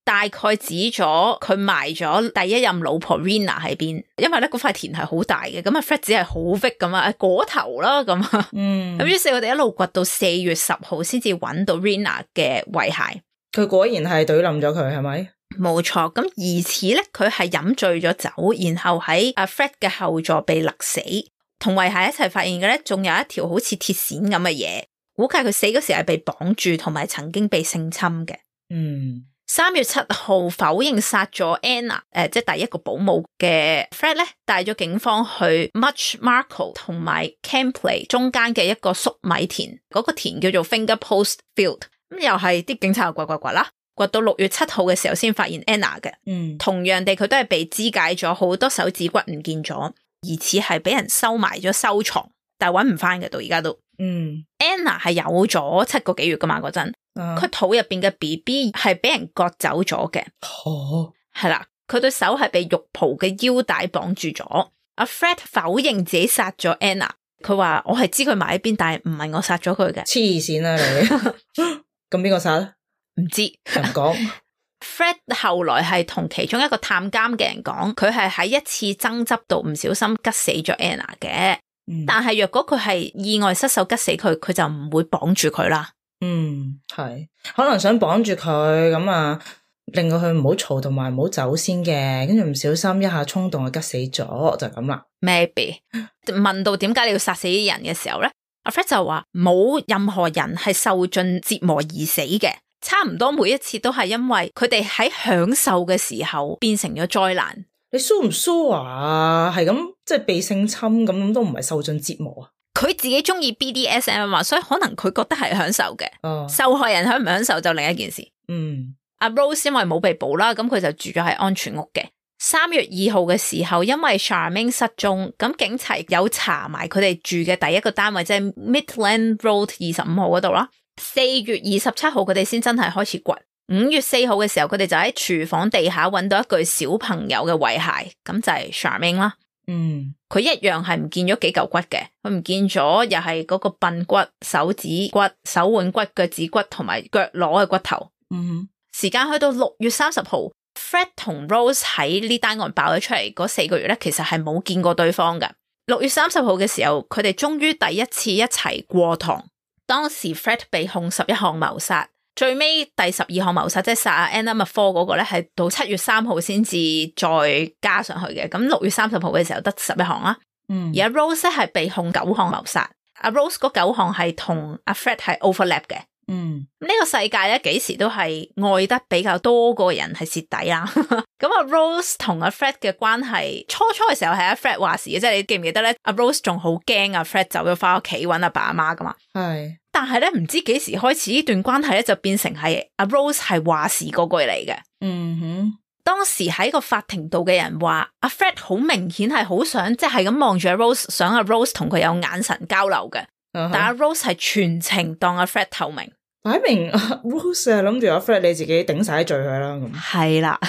大概指咗佢埋咗第一任老婆 Rena 喺邊，因為咧嗰塊田係好大嘅，咁啊 Fred 只係好 fit 咁啊，果頭啦咁啊，嗯，咁於是佢哋一路掘到四月十號先至揾到 Rena 嘅遺骸。佢果然係懟冧咗佢，係咪？冇錯，咁疑似咧，佢係飲醉咗酒，然後喺阿 Fred 嘅後座被勒死，同遺骸一齊發現嘅咧，仲有一條好似鐵線咁嘅嘢，估計佢死嗰時係被綁住，同埋曾經被性侵嘅。嗯，三月七號否認殺咗 Anna，誒、呃，即係第一個保姆嘅 Fred 咧，帶咗警方去 Much Marco 同埋 Campley 中間嘅一個粟米田，嗰、那個田叫做 Finger Post Field。咁又係啲警察又掘掘掘啦，掘到六月七號嘅時候先發現 Anna 嘅。嗯，同樣地佢都係被肢解咗，好多手指骨唔見咗，疑似係俾人收埋咗收藏，但係搵唔翻嘅到而家都。嗯 ，Anna 係有咗七個幾月噶嘛嗰陣，佢、啊、肚入邊嘅 B B 係俾人割走咗嘅。哦，係啦，佢對手係被浴袍嘅腰帶綁住咗。阿 Fred 否認自己殺咗 Anna， 佢話我係知佢埋喺邊，但係唔係我殺咗佢嘅。黐線啦你！咁邊個殺咧？唔知，唔講。Fred 後來係同其中一個探監嘅人講，佢係喺一次爭執度唔小心吉死咗 Anna 嘅。嗯、但係若果佢係意外失手吉死佢，佢就唔會綁住佢啦。嗯，係，可能想綁住佢咁啊，令到佢唔好嘈同埋唔好走先嘅，跟住唔小心一下衝動就吉死咗，就咁啦。Maybe 問到點解你要殺死啲人嘅時候咧？阿 Fred 就話冇任何人係受盡折磨而死嘅，差唔多每一次都係因為佢哋喺享受嘅時候變成咗災難。你 sure 唔 sure 啊？係咁即係被性侵咁都唔係受盡折磨啊？佢自己中意 B D S M 嘛，所以可能佢覺得係享受嘅。哦，受害人享唔享受就另一件事。嗯，阿 Rose 因為冇被捕啦，咁佢就住咗喺安全屋嘅。三月二號嘅時候，因為 Charmaine 失蹤，咁警察有查埋佢哋住嘅第一個單位，即係 Midland Road 二十五號嗰度啦。四月二十七號佢哋先真係開始掘。五月四號嘅時候，佢哋就喺廚房地下揾到一具小朋友嘅遺骸，咁就係 Charmaine 啦。嗯，佢一樣係唔見咗幾嚿骨嘅，佢唔見咗又係嗰個髕骨、手指骨、手腕骨、腳趾骨同埋腳踝嘅骨頭。嗯，時間去到六月三十號。Fred 同 Rose 喺呢單案爆咗出嚟嗰四個月咧，其實係冇見過對方嘅。六月三十號嘅時候，佢哋終於第一次一齊過堂。當時 Fred 被控十一項謀殺，最尾第十二項謀殺即係殺阿 Anna McFall 嗰個咧，係到七月三號先至再加上去嘅。咁六月三十號嘅時候得十一項啦。嗯，而阿 Rose 係被控九項謀殺，阿 Rose 嗰九項係同阿 Fred 係 overlap 嘅。嗯，呢個世界咧幾時都係愛得比較多個人係蝕底啦。咁阿 Rose 同阿 Fred 嘅關係初初嘅時候係阿 Fred 話事嘅，即係你記唔記得咧？阿 Rose 仲好驚阿 Fred 走咗翻屋企搵阿爸阿媽噶嘛。係，但係咧唔知幾時開始呢段關係咧就變成係阿 Rose 係話事嗰句嚟嘅。嗯哼，當時喺個法庭度嘅人話阿 Fred 好明顯係好想即係咁望住阿 Rose， 想阿 Rose 同佢有眼神交流嘅。Uh-huh. 但阿 Rose 係全程當阿 Fred 透明，擺明阿 Rose 係諗住阿 Fred 你自己頂晒啲罪佢啦。咁係啦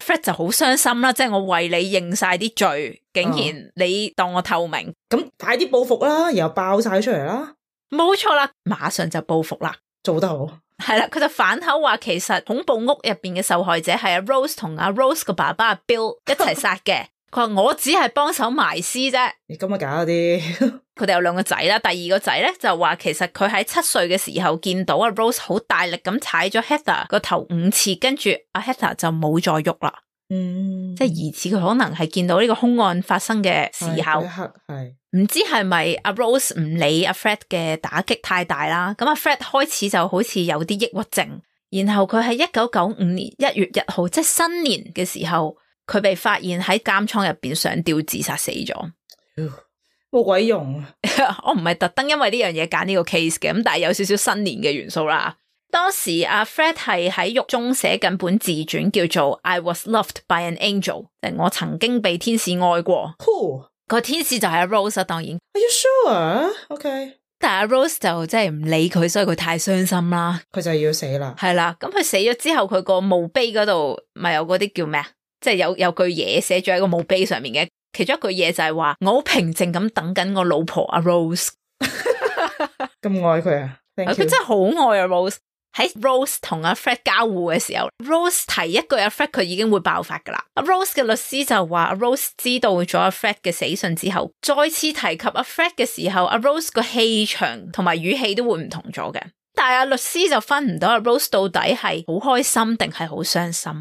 ，Fred 就好傷心啦，即係我為你認晒啲罪，竟然你當我透明，咁、uh-huh. 快啲報復啦，然後爆晒出嚟啦。冇錯啦，馬上就報復啦，做得好。係啦，佢就反口話其實恐怖屋入邊嘅受害者係阿 Rose 同阿 Rose 個爸爸阿 Bill 一齊殺嘅。佢話我只係幫手埋屍啫，你咁啊搞啲。佢哋有兩個仔啦，第二個仔咧就話其實佢喺七歲嘅時候見到阿 Rose 好大力咁踩咗 Heather 個頭五次，跟住阿 Heather 就冇再喐啦。嗯，即係疑似佢可能係見到呢個兇案發生嘅時候，係唔知係咪阿 Rose 唔理阿 Fred 嘅打擊太大啦？咁阿 Fred 開始就好似有啲抑鬱症，然後佢喺一九九五年一月一號，即係新年嘅時候。佢被發現喺監倉入邊上吊自殺死咗，冇鬼用啊！我唔係特登因為呢樣嘢揀呢個 case 嘅，咁但係有少少新年嘅元素啦。當時阿 Fred 係喺獄中寫緊本自傳，叫做 I Was Loved by an Angel， 即係我曾經被天使愛過。Who？個天使就係阿 Rose， 當然。Are you sure? OK。但係阿 Rose 就真係唔理佢，所以佢太傷心啦。佢就要死啦。係啦，咁佢死咗之後，佢個墓碑嗰度咪有嗰啲叫咩啊？即係有有句嘢寫咗喺個墓碑上面嘅，其中一句嘢就係話我好平靜咁等緊我老婆阿 Rose， 咁愛佢啊！佢真係好愛阿 Rose。喺 Rose 同阿 Fred 交互嘅時候 ，Rose 提一句阿 Fred 佢已經會爆發噶啦。阿 Rose 嘅律師就話阿 Rose 知道咗阿 Fred 嘅死訊之後，再次提及阿 Fred 嘅時候，阿 Rose 個氣場同埋語氣都會唔同咗嘅。但係阿律師就分唔到阿 Rose 到底係好開心定係好傷心。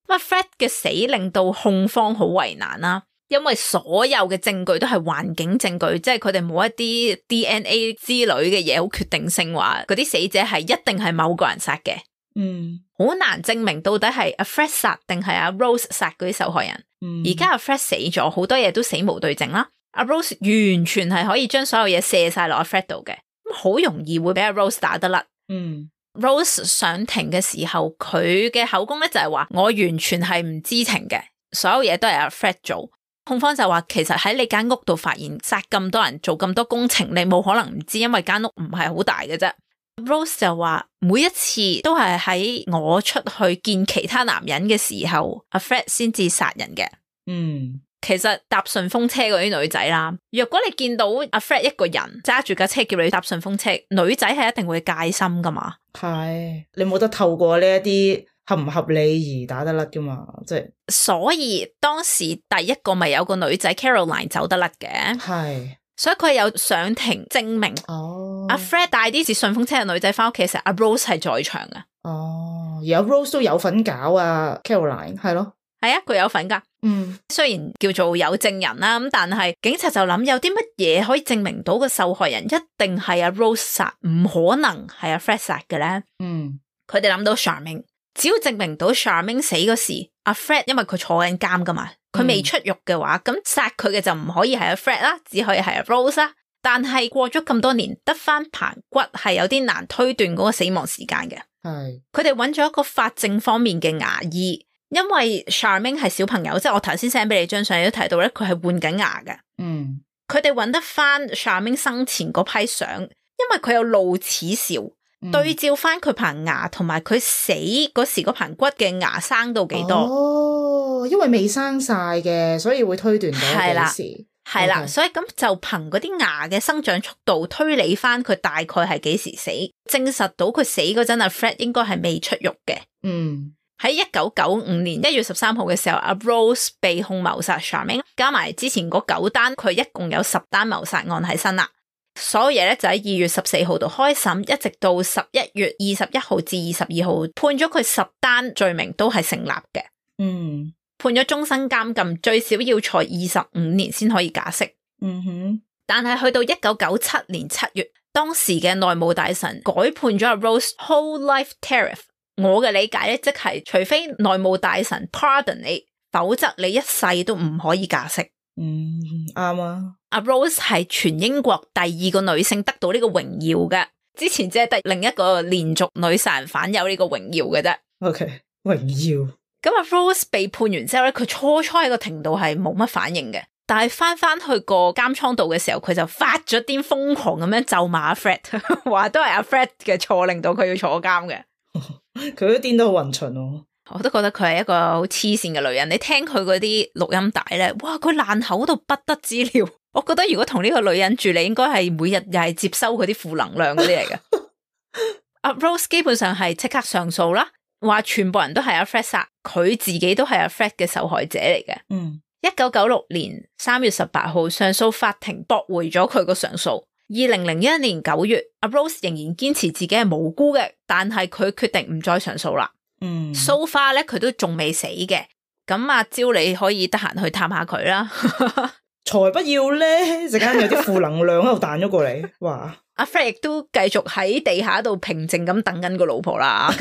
阿 Fred 嘅死令到控方好為難啦，因為所有嘅證據都係環境證據，即係佢哋冇一啲 D N A 之類嘅嘢好決定性話嗰啲死者係一定係某個人殺嘅。嗯，好難證明到底係阿 Fred 殺定係阿 Rose 殺嗰啲受害人。而家阿 Fred 死咗，好多嘢都死無對證啦。阿 Rose 完全係可以將所有嘢卸晒落阿 Fred 度嘅，咁好容易會俾阿 Rose 打得甩。嗯。Rose 上庭嘅時候，佢嘅口供咧就係話我完全係唔知情嘅，所有嘢都係阿 Fred 做。控方就話其實喺你間屋度發現殺咁多人做咁多工程，你冇可能唔知，因為間屋唔係好大嘅啫。Rose 就話每一次都係喺我出去見其他男人嘅時候，阿 Fred 先至殺人嘅。嗯。其實搭順風車嗰啲女仔啦，若果你見到阿 Fred 一個人揸住架車叫你搭順風車，女仔係一定會戒心噶嘛。係，你冇得透過呢一啲合唔合理而打得甩噶嘛，即係。所以當時第一個咪有個女仔 Caroline 走得甩嘅，係，所以佢有上庭證明。哦，阿 Fred 帶啲似順風車嘅女仔翻屋企，其實阿 Rose 係在場嘅。哦，而阿 Rose 都有份搞啊 Caroline， 係咯。係啊，佢有份噶。嗯，雖然叫做有證人啦，咁但係警察就諗有啲乜嘢可以證明到個受害人一定係阿 Rose 殺，唔可能係阿 Fred 殺嘅咧。嗯，佢哋諗到 Charmaine， 只要證明到 Charmaine 死嗰時，阿 Fred 因為佢坐緊監噶嘛，佢未出獄嘅話，咁殺佢嘅就唔可以係阿 Fred 啦，只可以係阿 Rose 啦。但係過咗咁多年，得翻棚骨係有啲難推斷嗰個死亡時間嘅。係，佢哋揾咗一個法證方面嘅牙醫。因為 Charmaine 係小朋友，即係我頭先 send 俾你張相，你都睇到咧，佢係換緊牙嘅。嗯，佢哋揾得翻 Charmaine 生前嗰批相，因為佢有露齒兆，嗯、對照翻佢棚牙同埋佢死嗰時嗰棚骨嘅牙生到幾多。哦，因為未生晒嘅，所以會推斷到幾時。係啦，所以咁就憑嗰啲牙嘅生長速度推理翻佢大概係幾時死，證實到佢死嗰陣阿 Fred 應該係未出獄嘅。嗯。喺一九九五年一月十三號嘅時候，阿 Rose 被控謀殺 Charmaine， 加埋之前嗰九單，佢一共有十單謀殺案喺身啦。所有嘢咧就喺二月十四號度開審，一直到十一月二十一號至二十二號判咗佢十單罪名都係成立嘅。嗯，判咗終身監禁，最少要坐二十五年先可以假釋。嗯哼，但係去到一九九七年七月，當時嘅內務大臣改判咗阿 Rose whole life tariff。我嘅理解咧，即係除非內務大臣 pardon 你，否則你一世都唔可以假釋。嗯，啱啊。阿 Rose 係全英國第二個女性得到呢個榮耀嘅，之前只係得另一個連續女殺人犯有呢個榮耀嘅啫。OK， 榮耀。咁阿 Rose 被判完之後咧，佢初初喺個庭度係冇乜反應嘅，但係翻翻去個監倉度嘅時候，佢就發咗癲，瘋狂咁樣咒罵阿 Fred， 話都係阿 Fred 嘅錯令到佢要坐監嘅。佢都癲得好勻循喎。我都覺得佢係一個好黐線嘅女人。你聽佢嗰啲錄音帶咧，哇，佢爛口到不得之了。我覺得如果同呢個女人住，你應該係每日又係接收佢啲負能量嗰啲嚟嘅。阿 Rose 基本上係即刻上訴啦，話全部人都係阿 Fred 殺，佢自己都係阿 Fred 嘅受害者嚟嘅。嗯，一九九六年三月十八號，上訴法庭駁回咗佢個上訴。二零零一年九月，阿 Rose 仍然堅持自己係無辜嘅，但係佢決定唔再上訴啦。嗯 so far 咧佢都仲未死嘅。咁阿蕉你可以得閒去探下佢啦。才不要咧，陣間有啲負能量喺度彈咗過嚟。哇！阿 Fred 亦都繼續喺地下度平靜咁等緊個老婆啦。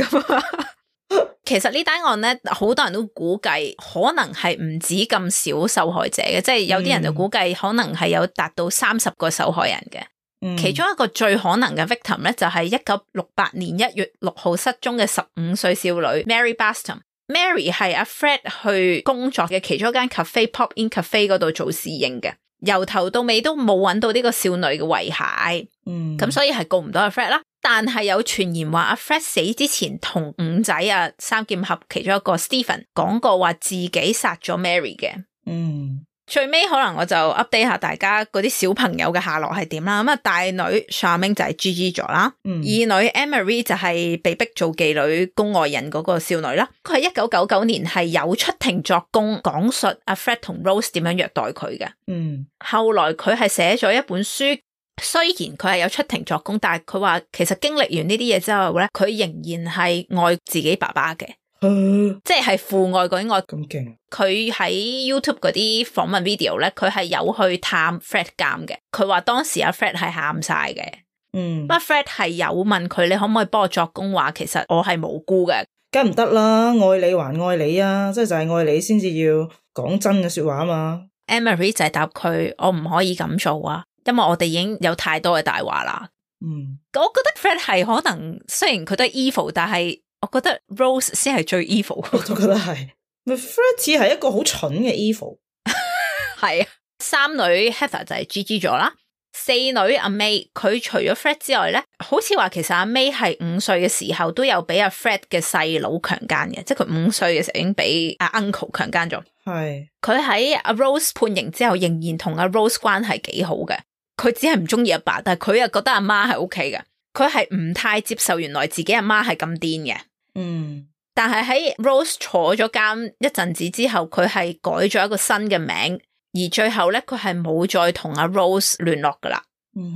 其實呢單案咧，好多人都估計可能係唔止咁少受害者嘅，即係有啲人就估計可能係有達到三十個受害人嘅。嗯、其中一個最可能嘅 victim 咧，就係一九六八年一月六號失蹤嘅十五歲少女 Mary Baston。Mary 係阿 Fred 去工作嘅其中一間 cafe Pop In Cafe 嗰度做侍應嘅，由頭到尾都冇揾到呢個少女嘅遺骸。嗯，咁所以係告唔到阿 Fred 啦。但係有傳言話阿 Fred 死之前同五仔啊三劍俠其中一個 Stephen 講過話自己殺咗 Mary 嘅。嗯。最尾可能我就 update 下大家嗰啲小朋友嘅下落係點啦。咁啊，大女 Charmaine 就係 G G 咗啦，嗯、二女 Emery 就係被逼做妓女供外人嗰個少女啦。佢係一九九九年係有出庭作供，講述阿 Fred 同 Rose 點樣虐待佢嘅。嗯，後來佢係寫咗一本書，雖然佢係有出庭作供，但係佢話其實經歷完呢啲嘢之後咧，佢仍然係愛自己爸爸嘅。即係父愛嗰啲愛咁勁。佢喺 YouTube 嗰啲訪問 video 咧，佢係有去探 Fred 監嘅。佢話當時阿 Fred 係喊晒嘅。嗯，不過 Fred 係有問佢，你可唔可以幫我作供，話其實我係無辜嘅。梗唔得啦，愛你還愛你啊，即係就係、是、愛你先至要講真嘅說話啊嘛。Emery 就係答佢，我唔可以咁做啊，因為我哋已經有太多嘅大話啦。嗯，我覺得 Fred 係可能雖然佢都係 evil， 但係我覺得 Rose 先係最 evil。我都覺得係。Fred 似係一個好蠢嘅 evil。係啊，三女 Heather 就係 G G 咗啦。四女阿 May， 佢除咗 Fred 之外咧，好似話其實阿 May 係五歲嘅時候都有俾阿 Fred 嘅細佬強姦嘅，即係佢五歲嘅時候已經俾阿 uncle 強姦咗。係。佢喺阿 Rose 判刑之後，仍然同阿 Rose 關係幾好嘅。佢只係唔中意阿爸，但係佢又覺得阿媽係 OK 嘅。佢係唔太接受原來自己阿媽係咁癲嘅。嗯，但係喺 Rose 坐咗監一陣子之後，佢係改咗一個新嘅名，而最後咧佢係冇再同阿 Rose 聯絡噶啦。嗯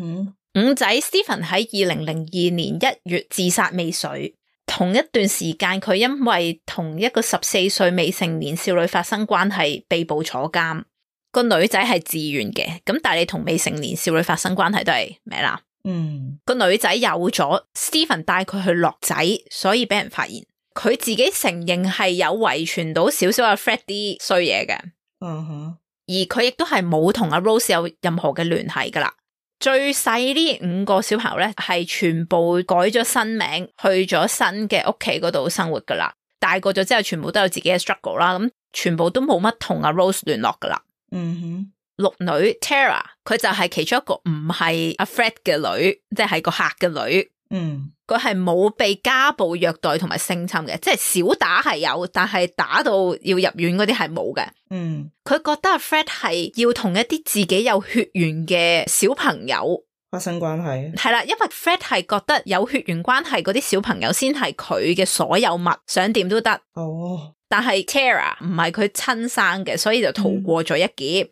哼，五仔 Stephen 喺二零零二年一月自殺未遂，同一段時間佢因為同一個十四歲未成年少女發生關係被捕坐監。個女仔係自願嘅，咁但係你同未成年少女發生關係都係咩啦？嗯，個女仔有咗 Stephen 帶佢去落仔，所以俾人發現。佢自己承認係有遺傳到少少阿 Fred 啲衰嘢嘅。嗯哼，而佢亦都係冇同阿 Rose 有任何嘅聯繫噶啦。最細呢五個小朋友咧係全部改咗新名，去咗新嘅屋企嗰度生活噶啦。大個咗之後，全部都有自己嘅 struggle 啦。咁全部都冇乜同阿 Rose 聯絡噶啦。嗯哼。六女 Tara 佢就係其中一個唔係阿 Fred 嘅女，即係個客嘅女。嗯，佢係冇被家暴虐待同埋性侵嘅，即係小打係有，但係打到要入院嗰啲係冇嘅。嗯，佢覺得阿 Fred 係要同一啲自己有血緣嘅小朋友發生關係。係啦，因為 Fred 係覺得有血緣關係嗰啲小朋友先係佢嘅所有物，想點都得。哦，但係 Tara 唔係佢親生嘅，所以就逃過咗一劫。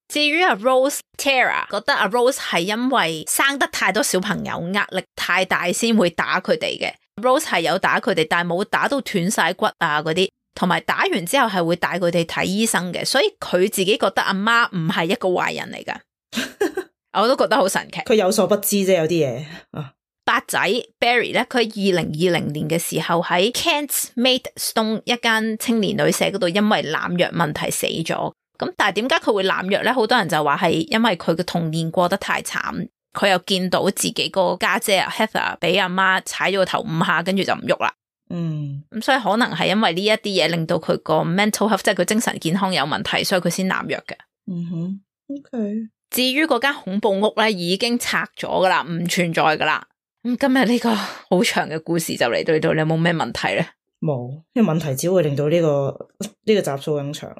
至於阿 Rose Tara 覺得阿 Rose 係因為生得太多小朋友，壓力太大先會打佢哋嘅。Rose 係有打佢哋，但係冇打到斷晒骨啊嗰啲，同埋打完之後係會帶佢哋睇醫生嘅，所以佢自己覺得阿媽唔係一個壞人嚟噶。我都覺得好神奇。佢有所不知啫，有啲嘢。啊，八仔 Barry 咧，佢喺二零二零年嘅時候喺 Kent Maidstone 一間青年旅社嗰度，因為濫藥問題死咗。咁但係點解佢會濫藥咧？好多人就話係因為佢嘅童年過得太慘，佢又見到自己個家姐 Heather 俾阿媽踩咗個頭五下，跟住就唔喐啦。嗯，咁所以可能係因為呢一啲嘢令到佢個 mental health， 即係佢精神健康有問題，所以佢先濫藥嘅。嗯哼 ，OK。至於嗰間恐怖屋咧，已經拆咗噶啦，唔存在噶啦。咁今日呢個好長嘅故事就嚟到呢度，你有冇咩問題咧？冇，因為問題只會令到呢、這個呢、這個集數更長。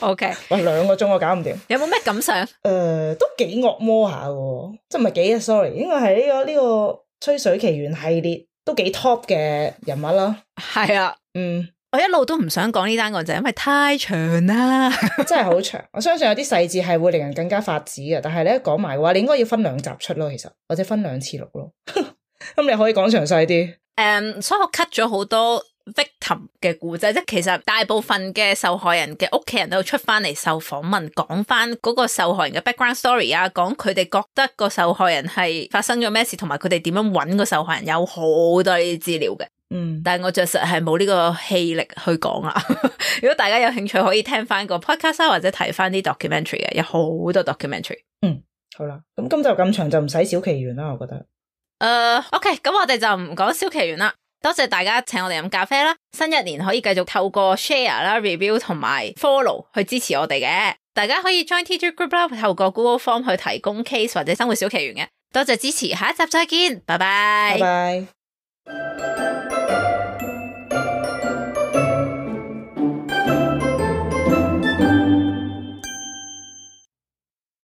O K， 哇，兩個鐘我搞唔掂。有冇咩感想？誒、呃，都幾惡魔下嘅，即係唔係幾 sorry， 應該係呢個呢、這個吹水奇緣系列都幾 top 嘅人物啦。係啊，嗯，我一路都唔想講呢單案就係因為太長啦，真係好長。我相信有啲細節係會令人更加發指嘅，但係你一講埋嘅話，你應該要分兩集出咯，其實或者分兩次錄咯。咁你可以講詳細啲。誒、um, 所以我 cut 咗好多 victim 嘅故仔，即係其實大部分嘅受害人嘅屋企人都出翻嚟受訪問，講翻嗰個受害人嘅 background story 啊，講佢哋覺得個受害人係發生咗咩事，同埋佢哋點樣揾個受害人，有好多呢啲資料嘅。嗯，但係我着實係冇呢個氣力去講啊。如果大家有興趣，可以聽翻個 podcast 或者睇翻啲 documentary 嘅，有好多 documentary。嗯，好啦，咁今集咁長就唔使小奇緣啦，我覺得。誒、uh, ，OK， 咁我哋就唔講小奇緣啦。多謝大家請我哋飲咖啡啦。新一年可以繼續透過 share 啦、review 同埋 follow 去支持我哋嘅。大家可以 join T G Group 啦，透過 Google Form 去提供 case 或者生活小奇緣嘅。多謝支持，下一集再見，拜拜。拜拜。